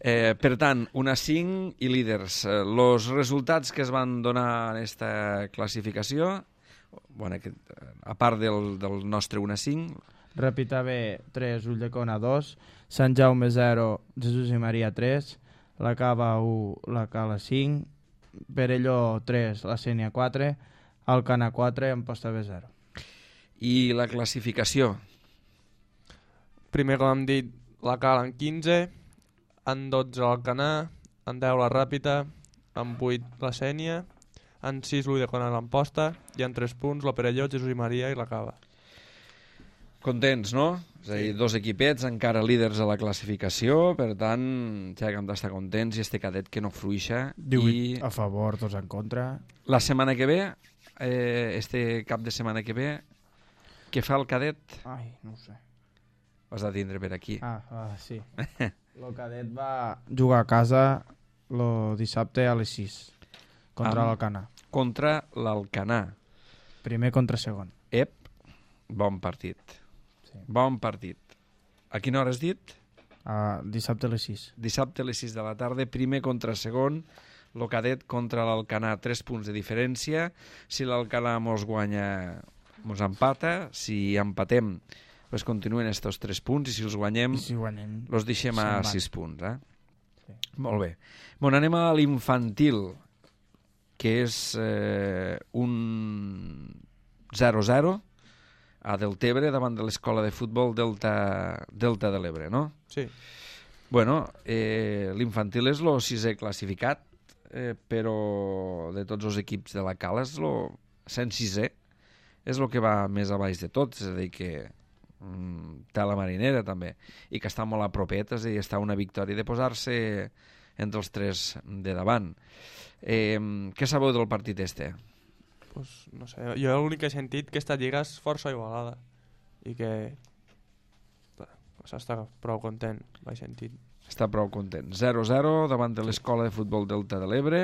Per tant, 1-5 i líders. Els resultats que es van donar en aquesta classificació, bueno, a part del nostre 1-5... Ràpita B 3, Ulldecona 2, Sant Jaume 0, Jesús i Maria 3, la Cava 1, la Cala 5, Perelló 3, la Sénia 4, Alcana 4, Amposta B 0. I la classificació? Primer, com hem dit, la Cala en 15, en 12 l'Alcanar, en 10 la Ràpita, en 8 la Sénia, en 6 l'Ulldecona l'Amposta i en 3 punts la Perelló, Jesús i Maria i la Cava. Contents, no? És a dir, dos equipets encara líders a la classificació, per tant, ja que hem d'estar contents i este cadet que no fruixa. 18 a favor, 2 en contra. La setmana que ve, este cap de setmana que ve, què fa el cadet? Ai, no ho sé. Ho has de tindre per aquí. Sí. El cadet va jugar a casa el dissabte a les 6 contra l'Alcanar. Contra l'Alcanar. Primer contra segon. Bon partit. Sí. Bon partit. A quina hora has dit? Dissabte a les 6. Dissabte a les 6 de la tarda, primer contra segon, el cadet contra l'Alcanar, 3 punts de diferència. Si l'Alcanar mos guanya, mos empata. Si empatem, pues continuen estos 3 punts, i si els guanyem, els deixem a 6 punts. Sí. Molt bé. Bueno, anem a l'infantil, que és un 0-0 a Deltebre davant de l'escola de futbol Delta de l'Ebre, no? Sí. Bueno, l'infantil és el 6è classificat, però de tots els equips de la Cala és el 106è, és el que va més a baix de tots, és a dir que té la marinera també, i que està molt a propet, és a dir, està una victòria de posar-se entre els 3 de davant. Què sabeu del partit este? Pues, no sé, jo l'únic que he sentit que aquesta lliga és força igualada i que s'està prou content, vaig sentit. Està prou content. 0-0 davant de l'escola de futbol Delta de l'Ebre,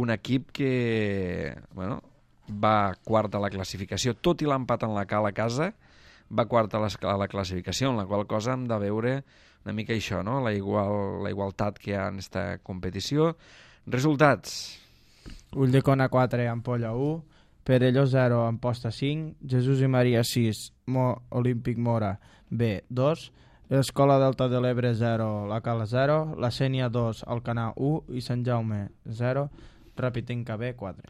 un equip que va quart a la classificació, tot i l'empat en la Cala a casa, va quart a la classificació, en la qual cosa hem de veure una mica això, no? La igualtat que hi ha en aquesta competició. Resultats: Ulldecona 4, Ampolla 1, Perelló 0, Amposta 5, Jesús i Maria 6, Olímpic Mora B 2, Escola Delta de l'Ebre 0, la Cala 0, la Sénia 2, Alcanar 1 i Sant Jaume 0, Ràpitenca B 4.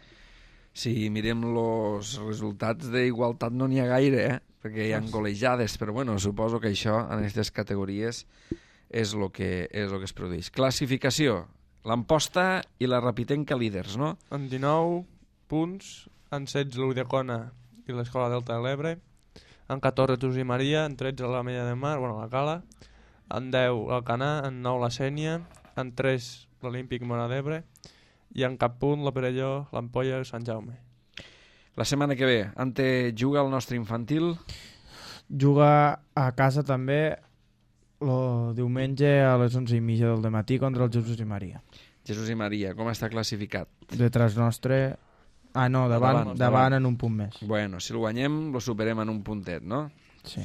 Si mirem els resultats d'igualtat no n'hi ha gaire, perquè hi ha golejades, però bueno, suposo que això en aquestes categories és el que es produeix. Classificació: l'Amposta i la Ràpitenca líders, no? En 19 punts, en 16 l'Ulldecona i l'Escola Delta de l'Ebre, en 14 Jesús i Maria, en 13 l'Ametlla de Mar, la Cala, en 10 l'Alcanar, en 9 la Sénia, en 3 l'Olímpic Mora d'Ebre i en cap punt la Perelló, l'Ampolla i Sant Jaume. La setmana que ve, ante juga el nostre infantil? Juga a casa també el diumenge a les 11:30 del dematí contra el Jesús i Maria. Jesús i Maria, com està classificat? Detrás nostre... davant en un punt més. Bueno, si el guanyem, lo superem en un puntet, no? Sí.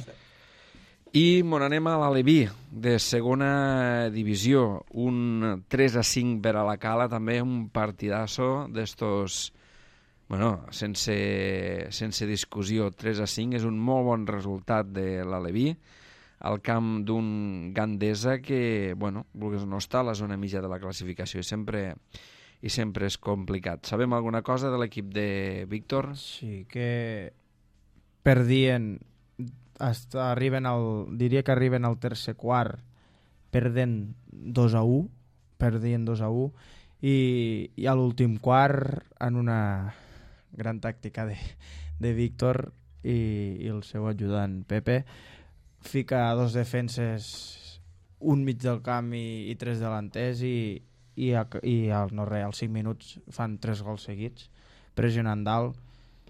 I mon anem a l'Aleví, de segona divisió, un 3-5 per a la Cala, també un partidazo d'estos, sense discussió, 3-5, és un molt bon resultat de l'Aleví, al camp d'un Gandesa que, vulguis no està a la zona mitja de la classificació i sempre és complicat. Sabem alguna cosa de l'equip de Víctor? Sí, que perdien, diria que arriben al tercer quart perdent 2-1, i a l'últim quart, en una gran tàctica de Víctor i el seu ajudant Pepe, fica 2 defenses, un mig del camp i 3 delanters, i als 5 minuts fan 3 gols seguits, pressionant dalt,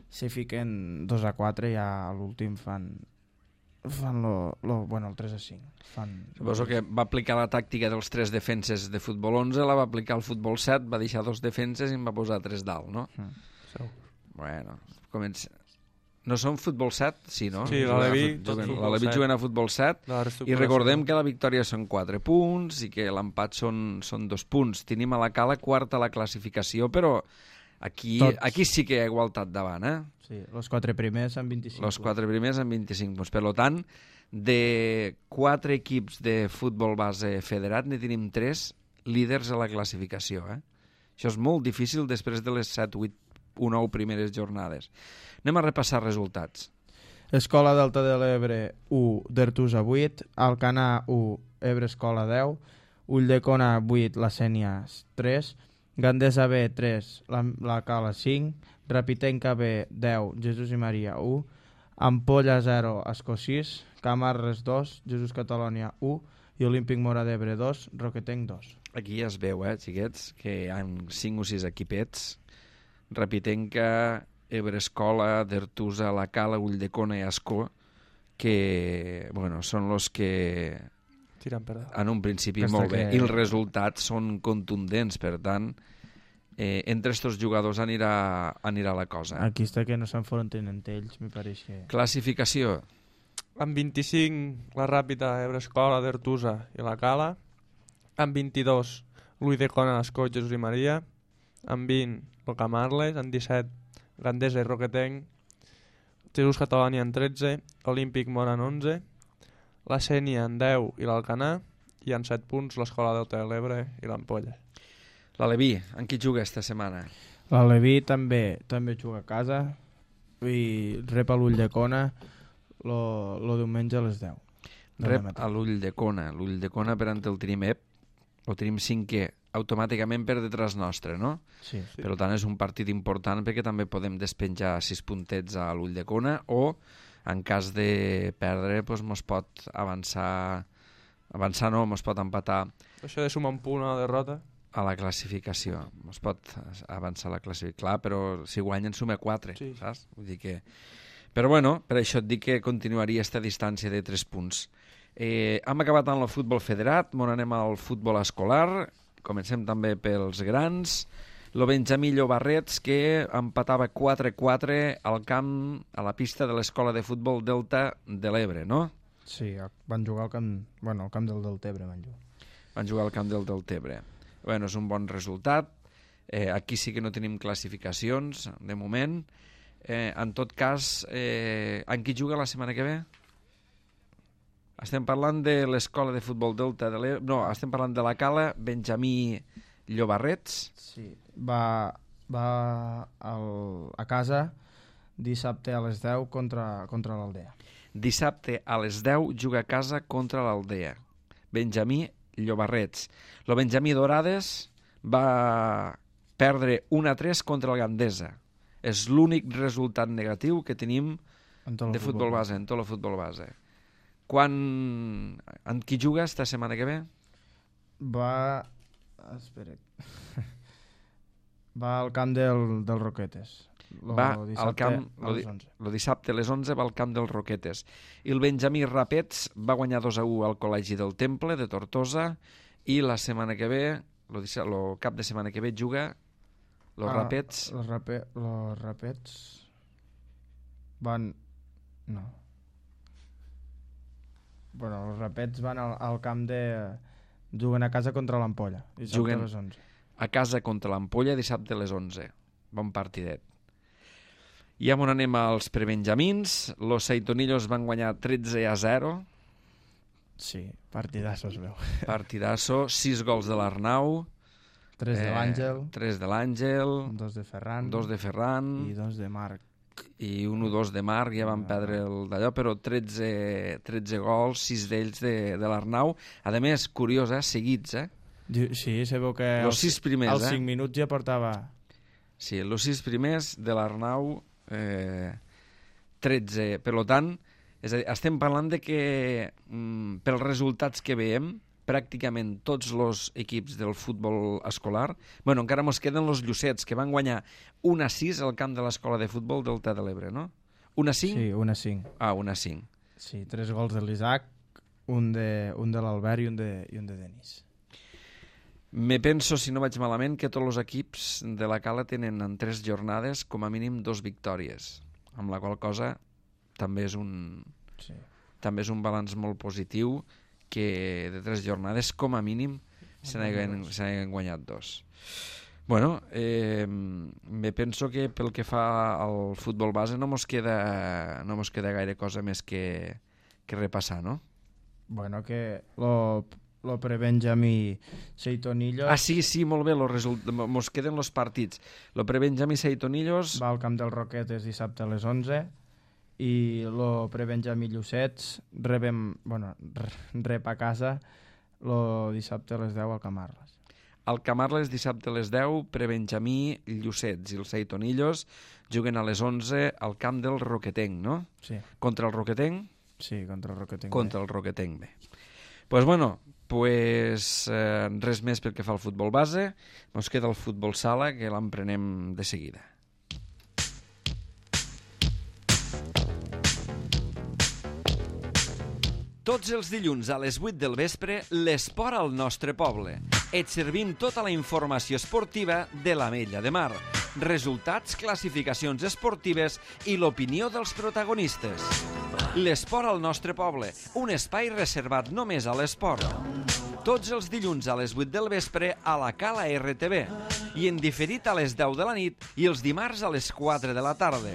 se fiquen 2-4 i a l'últim fan Fan el 3-5. Suposo que va aplicar la tàctica dels 3 defenses de futbol 11, la va aplicar al futbol 7, va deixar 2 defenses i en va posar 3 dalt, no? Bueno, comença... No són futbol 7? Sí, no? Sí, l'Aleví juguen a futbol 7 i recordem que la victòria són 4 punts i que l'empat són 2 punts. Tenim a la Cala quarta a la classificació, però aquí sí que hi ha igualtat davant, eh? Sí, els 4 primers amb 25 punts. Els 4 primers amb 25 punts. Per tant, de 4 equips de futbol base federat, ne tenim 3 líders a la classificació, eh? Això és molt difícil després de les 7, 8 o 9 primeres jornades. Anem a repassar resultats. Escola Delta de l'Ebre 1, d'Artusa 8, Alcanar 1, Ebre Escola 10, Ulldecona 8, La Sénia 3, Gandesa B 3, la Cala 5, Rapitenca B 10, Jesús i Maria 1, Ampolla 0, Escó 6, Camarles 2, Jesús Catalònia 1 i Olímpic Mora d'Ebre 2, Roquetenc 2. Aquí ja es veu, xiquets, que hi ha 5 o 6 equipets. Rapitenca, Ebre Escola, d'Artusa, La Cala, Ulldecona i Ascó, que són els que tiren per dalt. En un principi molt bé. I els resultats són contundents, per tant, entre estos jugadors anirà la cosa. Aquí està que no s'enfronten entre ells, me pareix que... Classificació. Amb 25, la Ràpita, Ebre Escola, d'Artusa i La Cala. Amb 22, l'Ulldecona, Ascó, Jesús i Maria. Amb 20, el Camarles. Amb 17, Gandesa i Roquetenc, Jesús Catalònia en 13, Olímpic Mora en 11, la Sénia en 10 i l'Alcanar, i en 7 punts l'Escola Delta de l'Ebre i l'Ampolla. L'Aleví, en qui juga esta setmana? L'Aleví també juga a casa i rep a l'Ulldecona el diumenge a les 10. Rep a l'Ulldecona. L'Ulldecona, per ante el tenim el tenim 5è automàticament per detrás nostre, no? Sí. Per tant, és un partit important perquè també podem despenjar 6 puntets a l'Ulldecona o, en cas de perdre, mos pot avançar no, mos pot empatar això de sumar un punt a la derrota a la classificació. Mos pot avançar a la classificació. Clar, però si guanyen suma 4, sí. Saps? Vull dir que... Però per això et dic que continuaria aquesta distància de 3 punts. Hem acabat amb el futbol federat, anem al futbol escolar. Comencem també pels grans. Lo Benjamí Llobarrets, que empatava 4-4 al camp, a la pista de l'Escola de Futbol Delta de l'Ebre, no? Sí, van jugar al camp del Deltebre. Van jugar al camp del Deltebre. És un bon resultat. Aquí sí que no tenim classificacions, de moment. En tot cas, en qui juga la setmana que ve? Estem parlant de l'Escola de Futbol Delta de l'Ebre... No, estem parlant de la Cala, Benjamí Llobarrets. Sí, va a casa dissabte a les 10 contra l'Aldea. Dissabte a les 10 juga a casa contra l'Aldea. Benjamí Llobarrets. Lo Benjamí Dorades va perdre 1-3 contra el Gandesa. És l'únic resultat negatiu que tenim de futbol base, en tot el futbol base. En qui juga esta setmana que ve? Va al camp del Roquetes. El dissabte a les 11 va al camp dels Roquetes. I el Benjamí Rapets va guanyar 2-1 al Col·legi del Temple de Tortosa i la setmana que ve, el cap de setmana que ve juga los Rapets. Los Rapets van... No. Els Rapets van al camp de... Juguen a casa contra l'Ampolla. Juguen a les 11. A casa contra l'Ampolla dissabte a les 11. Bon partidet. I on anem als prebenjamins. Los Seitonillos van guanyar 13-0. Sí, partidasso es veu. Partidasso, 6 gols de l'Arnau. 3 de l'Àngel. 3 de l'Àngel. 2 de Ferran. 2 de Ferran. I 2 de Marc. I 1-2 de Marc, ja van perdre d'allò, però 13 gols, 6 d'ells de l'Arnau. A més, curiós, seguits, Sí, se veu que als 6 primers, als 5 minuts ja portava... Sí, els 6 primers de l'Arnau, 13. Per tant, és a dir, estem parlant de que pels resultats que veiem, pràcticament tots els equips del futbol escolar, encara mos queden els Llucets, que van guanyar 1-6 al camp de l'Escola de Futbol Delta de l'Ebre, no? 1-5? Sí, 1-5. 1-5. Sí, 3 gols de l'Isaac, un de l'Albert i un de Denis. Me penso, si no vaig malament, que tots els equips de la Cala tenen en 3 jornades com a mínim 2 victòries, amb la qual cosa també és un balanç molt positiu que de 3 jornades com a mínim se n'hagin guanyat 2. Bueno, me penso que pel que fa al futbol base no mos queda gaire cosa més que repassar, no? Bueno, que lo pre-Benjamí Seitonillos... Ah, sí, molt bé, mos queden els partits. Lo pre-Benjamí Seitonillos... Va al camp del Roquetes dissabte a les 11 i lo pre-Benjamí Llucets rep a casa lo dissabte a les 10 al Camarles. Al Camarles dissabte a les 10, pre-Benjamí Llucets i els Seitonillos juguen a les 11 al camp del Roquetenc, no? Sí. Contra el Roquetenc? Sí, contra el Roquetenc. Contra el Roquetenc B. Res més pel que fa al futbol base. Ens queda el futbol sala, que l'emprenem de seguida. Tots els dilluns a les 8 del vespre, l'esport al nostre poble. Et servim tota la informació esportiva de l'Ametlla de Mar. Resultats, classificacions esportives i l'opinió dels protagonistes. L'esport al nostre poble, un espai reservat només a l'esport. Tots els dilluns a les 8 del vespre a la Cala RTV i en diferit a les 10 de la nit i els dimarts a les 4 de la tarda.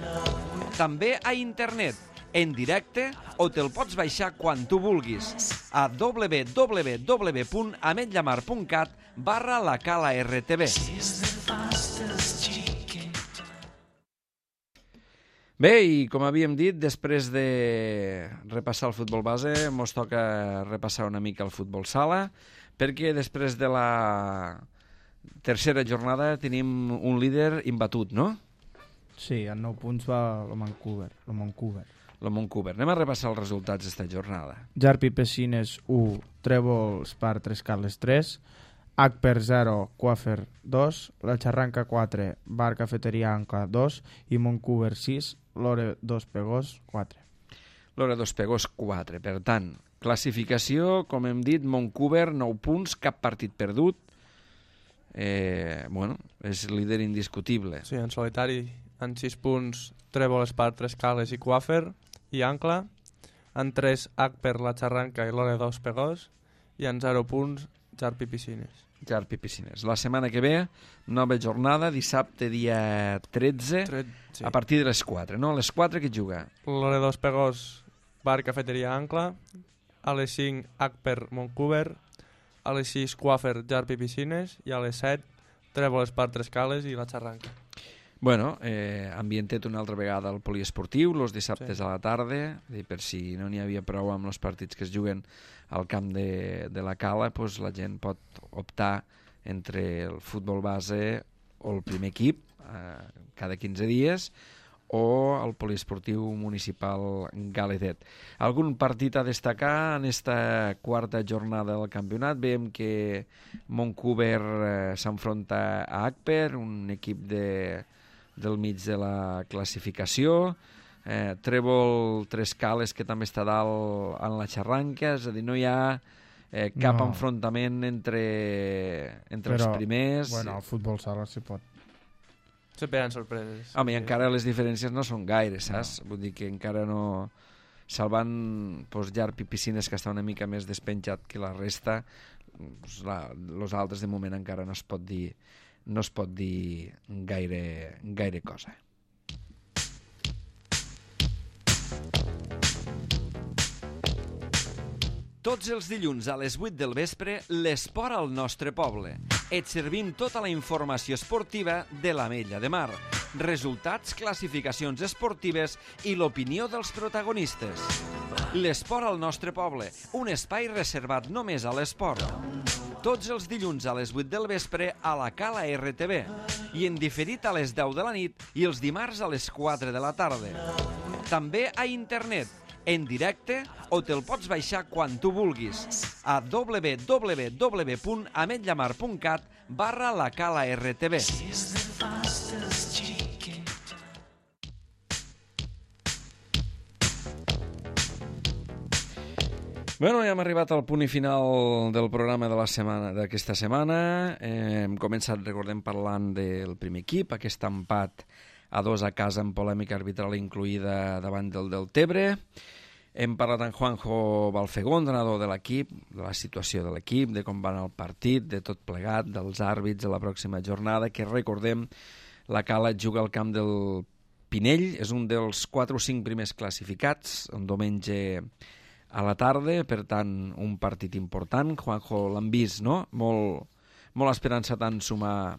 També a internet, en directe, o te'l pots baixar quan tu vulguis a www.ametllamar.cat/la-cala-rtv. Bé, i com havíem dit, després de repassar el futbol base, ens toca repassar una mica el futbol sala, perquè després de la tercera jornada tenim un líder imbatut, no? Sí, en 9 punts va el Montcover. El Montcover. Anem a repassar els resultats d'esta jornada. Jarpi Pesines 1, Trèvols Par 3 Carles 3, Acper 0, Coafer 2, La Xarranca 4, Bar Cafeteria Ancla 2 i Montcover 6, Lore 2 Pegós 4. Lore 2 Pegós 4. Per tant, classificació, com hem dit, Montcover 9 punts, cap partit perdut. És líder indiscutible. Sí, en solitari, en 6 punts, Trèvols Par 3 Carles i Coafer i Ancla, en 3 Acper, La Xarranca i Lore 2 Pegós i en 0 punts Jarpi Piscines. La setmana que ve, nova jornada, dissabte dia 13, sí. A partir de les 4, no? A les 4 qui juga? Lore 2 Pegós, Bar Cafeteria Ancla, a les 5 Acper Montcover, a les 6 Coafer Jarpi Piscines i a les 7 Trèvols Par 3 Cales i La Xarranca. Bueno, ambientet una altra vegada al poliesportiu, els dissabtes a la tarda, per si no n'hi havia prou amb els partits que es juguen al camp de la Cala, doncs la gent pot optar entre el futbol base o el primer equip cada 15 dies o el poliesportiu municipal Galetet. Algun partit a destacar en esta quarta jornada del campionat? Veiem que Montcover s'enfronta a Acper, un equip del mig de la classificació. Trèvol 3 Cales, que també està dalt en la Xarranca, és a dir, no hi ha cap enfrontament entre els primers. Bueno, el futbol sala s'hi pot. Sempre hi ha sorpreses. Home, i encara les diferències no són gaire, saps? No. Vull dir que encara no... Salvant Jarpi Piscines, que està una mica més despenjat que la resta, els altres de moment encara no es pot dir gaire cosa. Tots els dilluns a les 8 del vespre, l'esport al nostre poble. Et servim tota la informació esportiva de l'Ametlla de Mar. Resultats, classificacions esportives i l'opinió dels protagonistes. L'esport al nostre poble, un espai reservat només a l'esport. Tots els dilluns a les 8 del vespre a la Cala RTV i en diferit a les 10 de la nit i els dimarts a les 4 de la tarda. També a internet, en directe, o te'l pots baixar quan tu vulguis a www.ametllamar.cat/la-cala-rtv. Bueno, ja hem arribat al punt i final del programa de la setmana d'aquesta setmana. Hem començat, recordem, parlant del primer equip, aquest empat a 2 a casa amb polèmica arbitral incluïda davant del Deltebre. Hem parlat amb Juanjo Balfegó, entrenador de l'equip, de la situació de l'equip, de com va anar el partit, de tot plegat, dels àrbits de la pròxima jornada, que recordem, la Cala juga al camp del Pinell, és un dels 4 o 5 primers classificats, un diumenge a la tarda, per tant, un partit important. Juanjo, l'han vist, no? Molt esperançat en sumar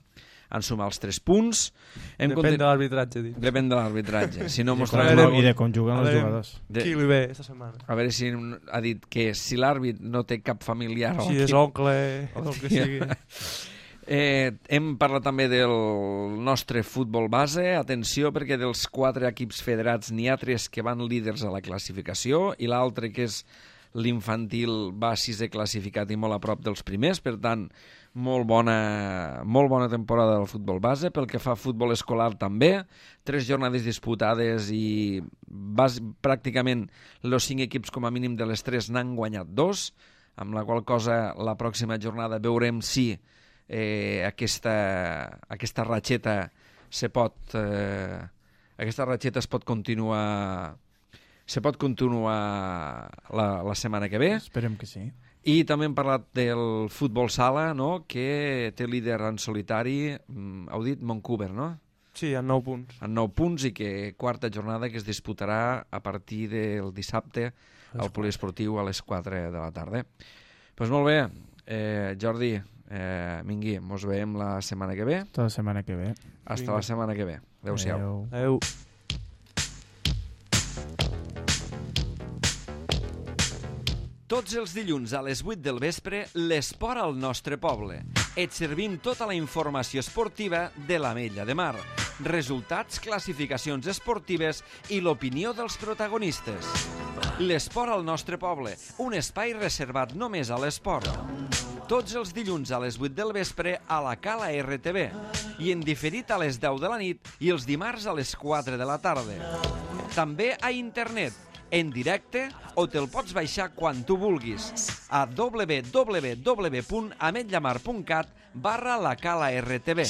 els 3 punts. Depèn de l'arbitratge, dic. Depèn de l'arbitratge. Si no I mostrarem... de com juguen els jugadors. Qui li ve esta setmana? A veure si ha dit que si l'àrbit no té cap familiar... Si és oncle, el que sigui. Hem parlat també del nostre futbol base. Atenció, perquè dels 4 equips federats n'hi ha 3 que van líders a la classificació i l'altre, que és l'infantil, va 6è classificat i molt a prop dels primers. Per tant, molt bona temporada del futbol base. Pel que fa a futbol escolar també, 3 jornades disputades i pràcticament els 5 equips com a mínim de les 3 n'han guanyat 2, amb la qual cosa la pròxima jornada veurem si aquesta ratxeta es pot continuar la setmana que ve. Esperem que sí. I també hem parlat del futbol sala, no?, que té líder en solitari, heu dit Montcouver, no? Sí, amb 9 punts. Amb 9 punts, i que 4a jornada que es disputarà a partir del dissabte al poliesportiu a les 4 de la tarda. Doncs molt bé, Jordi, Mingui, mos veiem la setmana que ve. Tota la setmana que ve. Hasta la setmana que ve. Adéu-siau. Adéu. Tots els dilluns a les 8 del vespre, l'esport al nostre poble. Et servim tota la informació esportiva de l'Ametlla de Mar. Resultats, classificacions esportives i l'opinió dels protagonistes. L'esport al nostre poble, un espai reservat només a l'esport. Tots els dilluns a les 8 del vespre a la Cala RTV i en diferit a les 10 de la nit i els dimarts a les 4 de la tarda. També a internet, en directe, o te'l pots baixar quan tu vulguis a www.ametllamar.cat/la Cala RTV.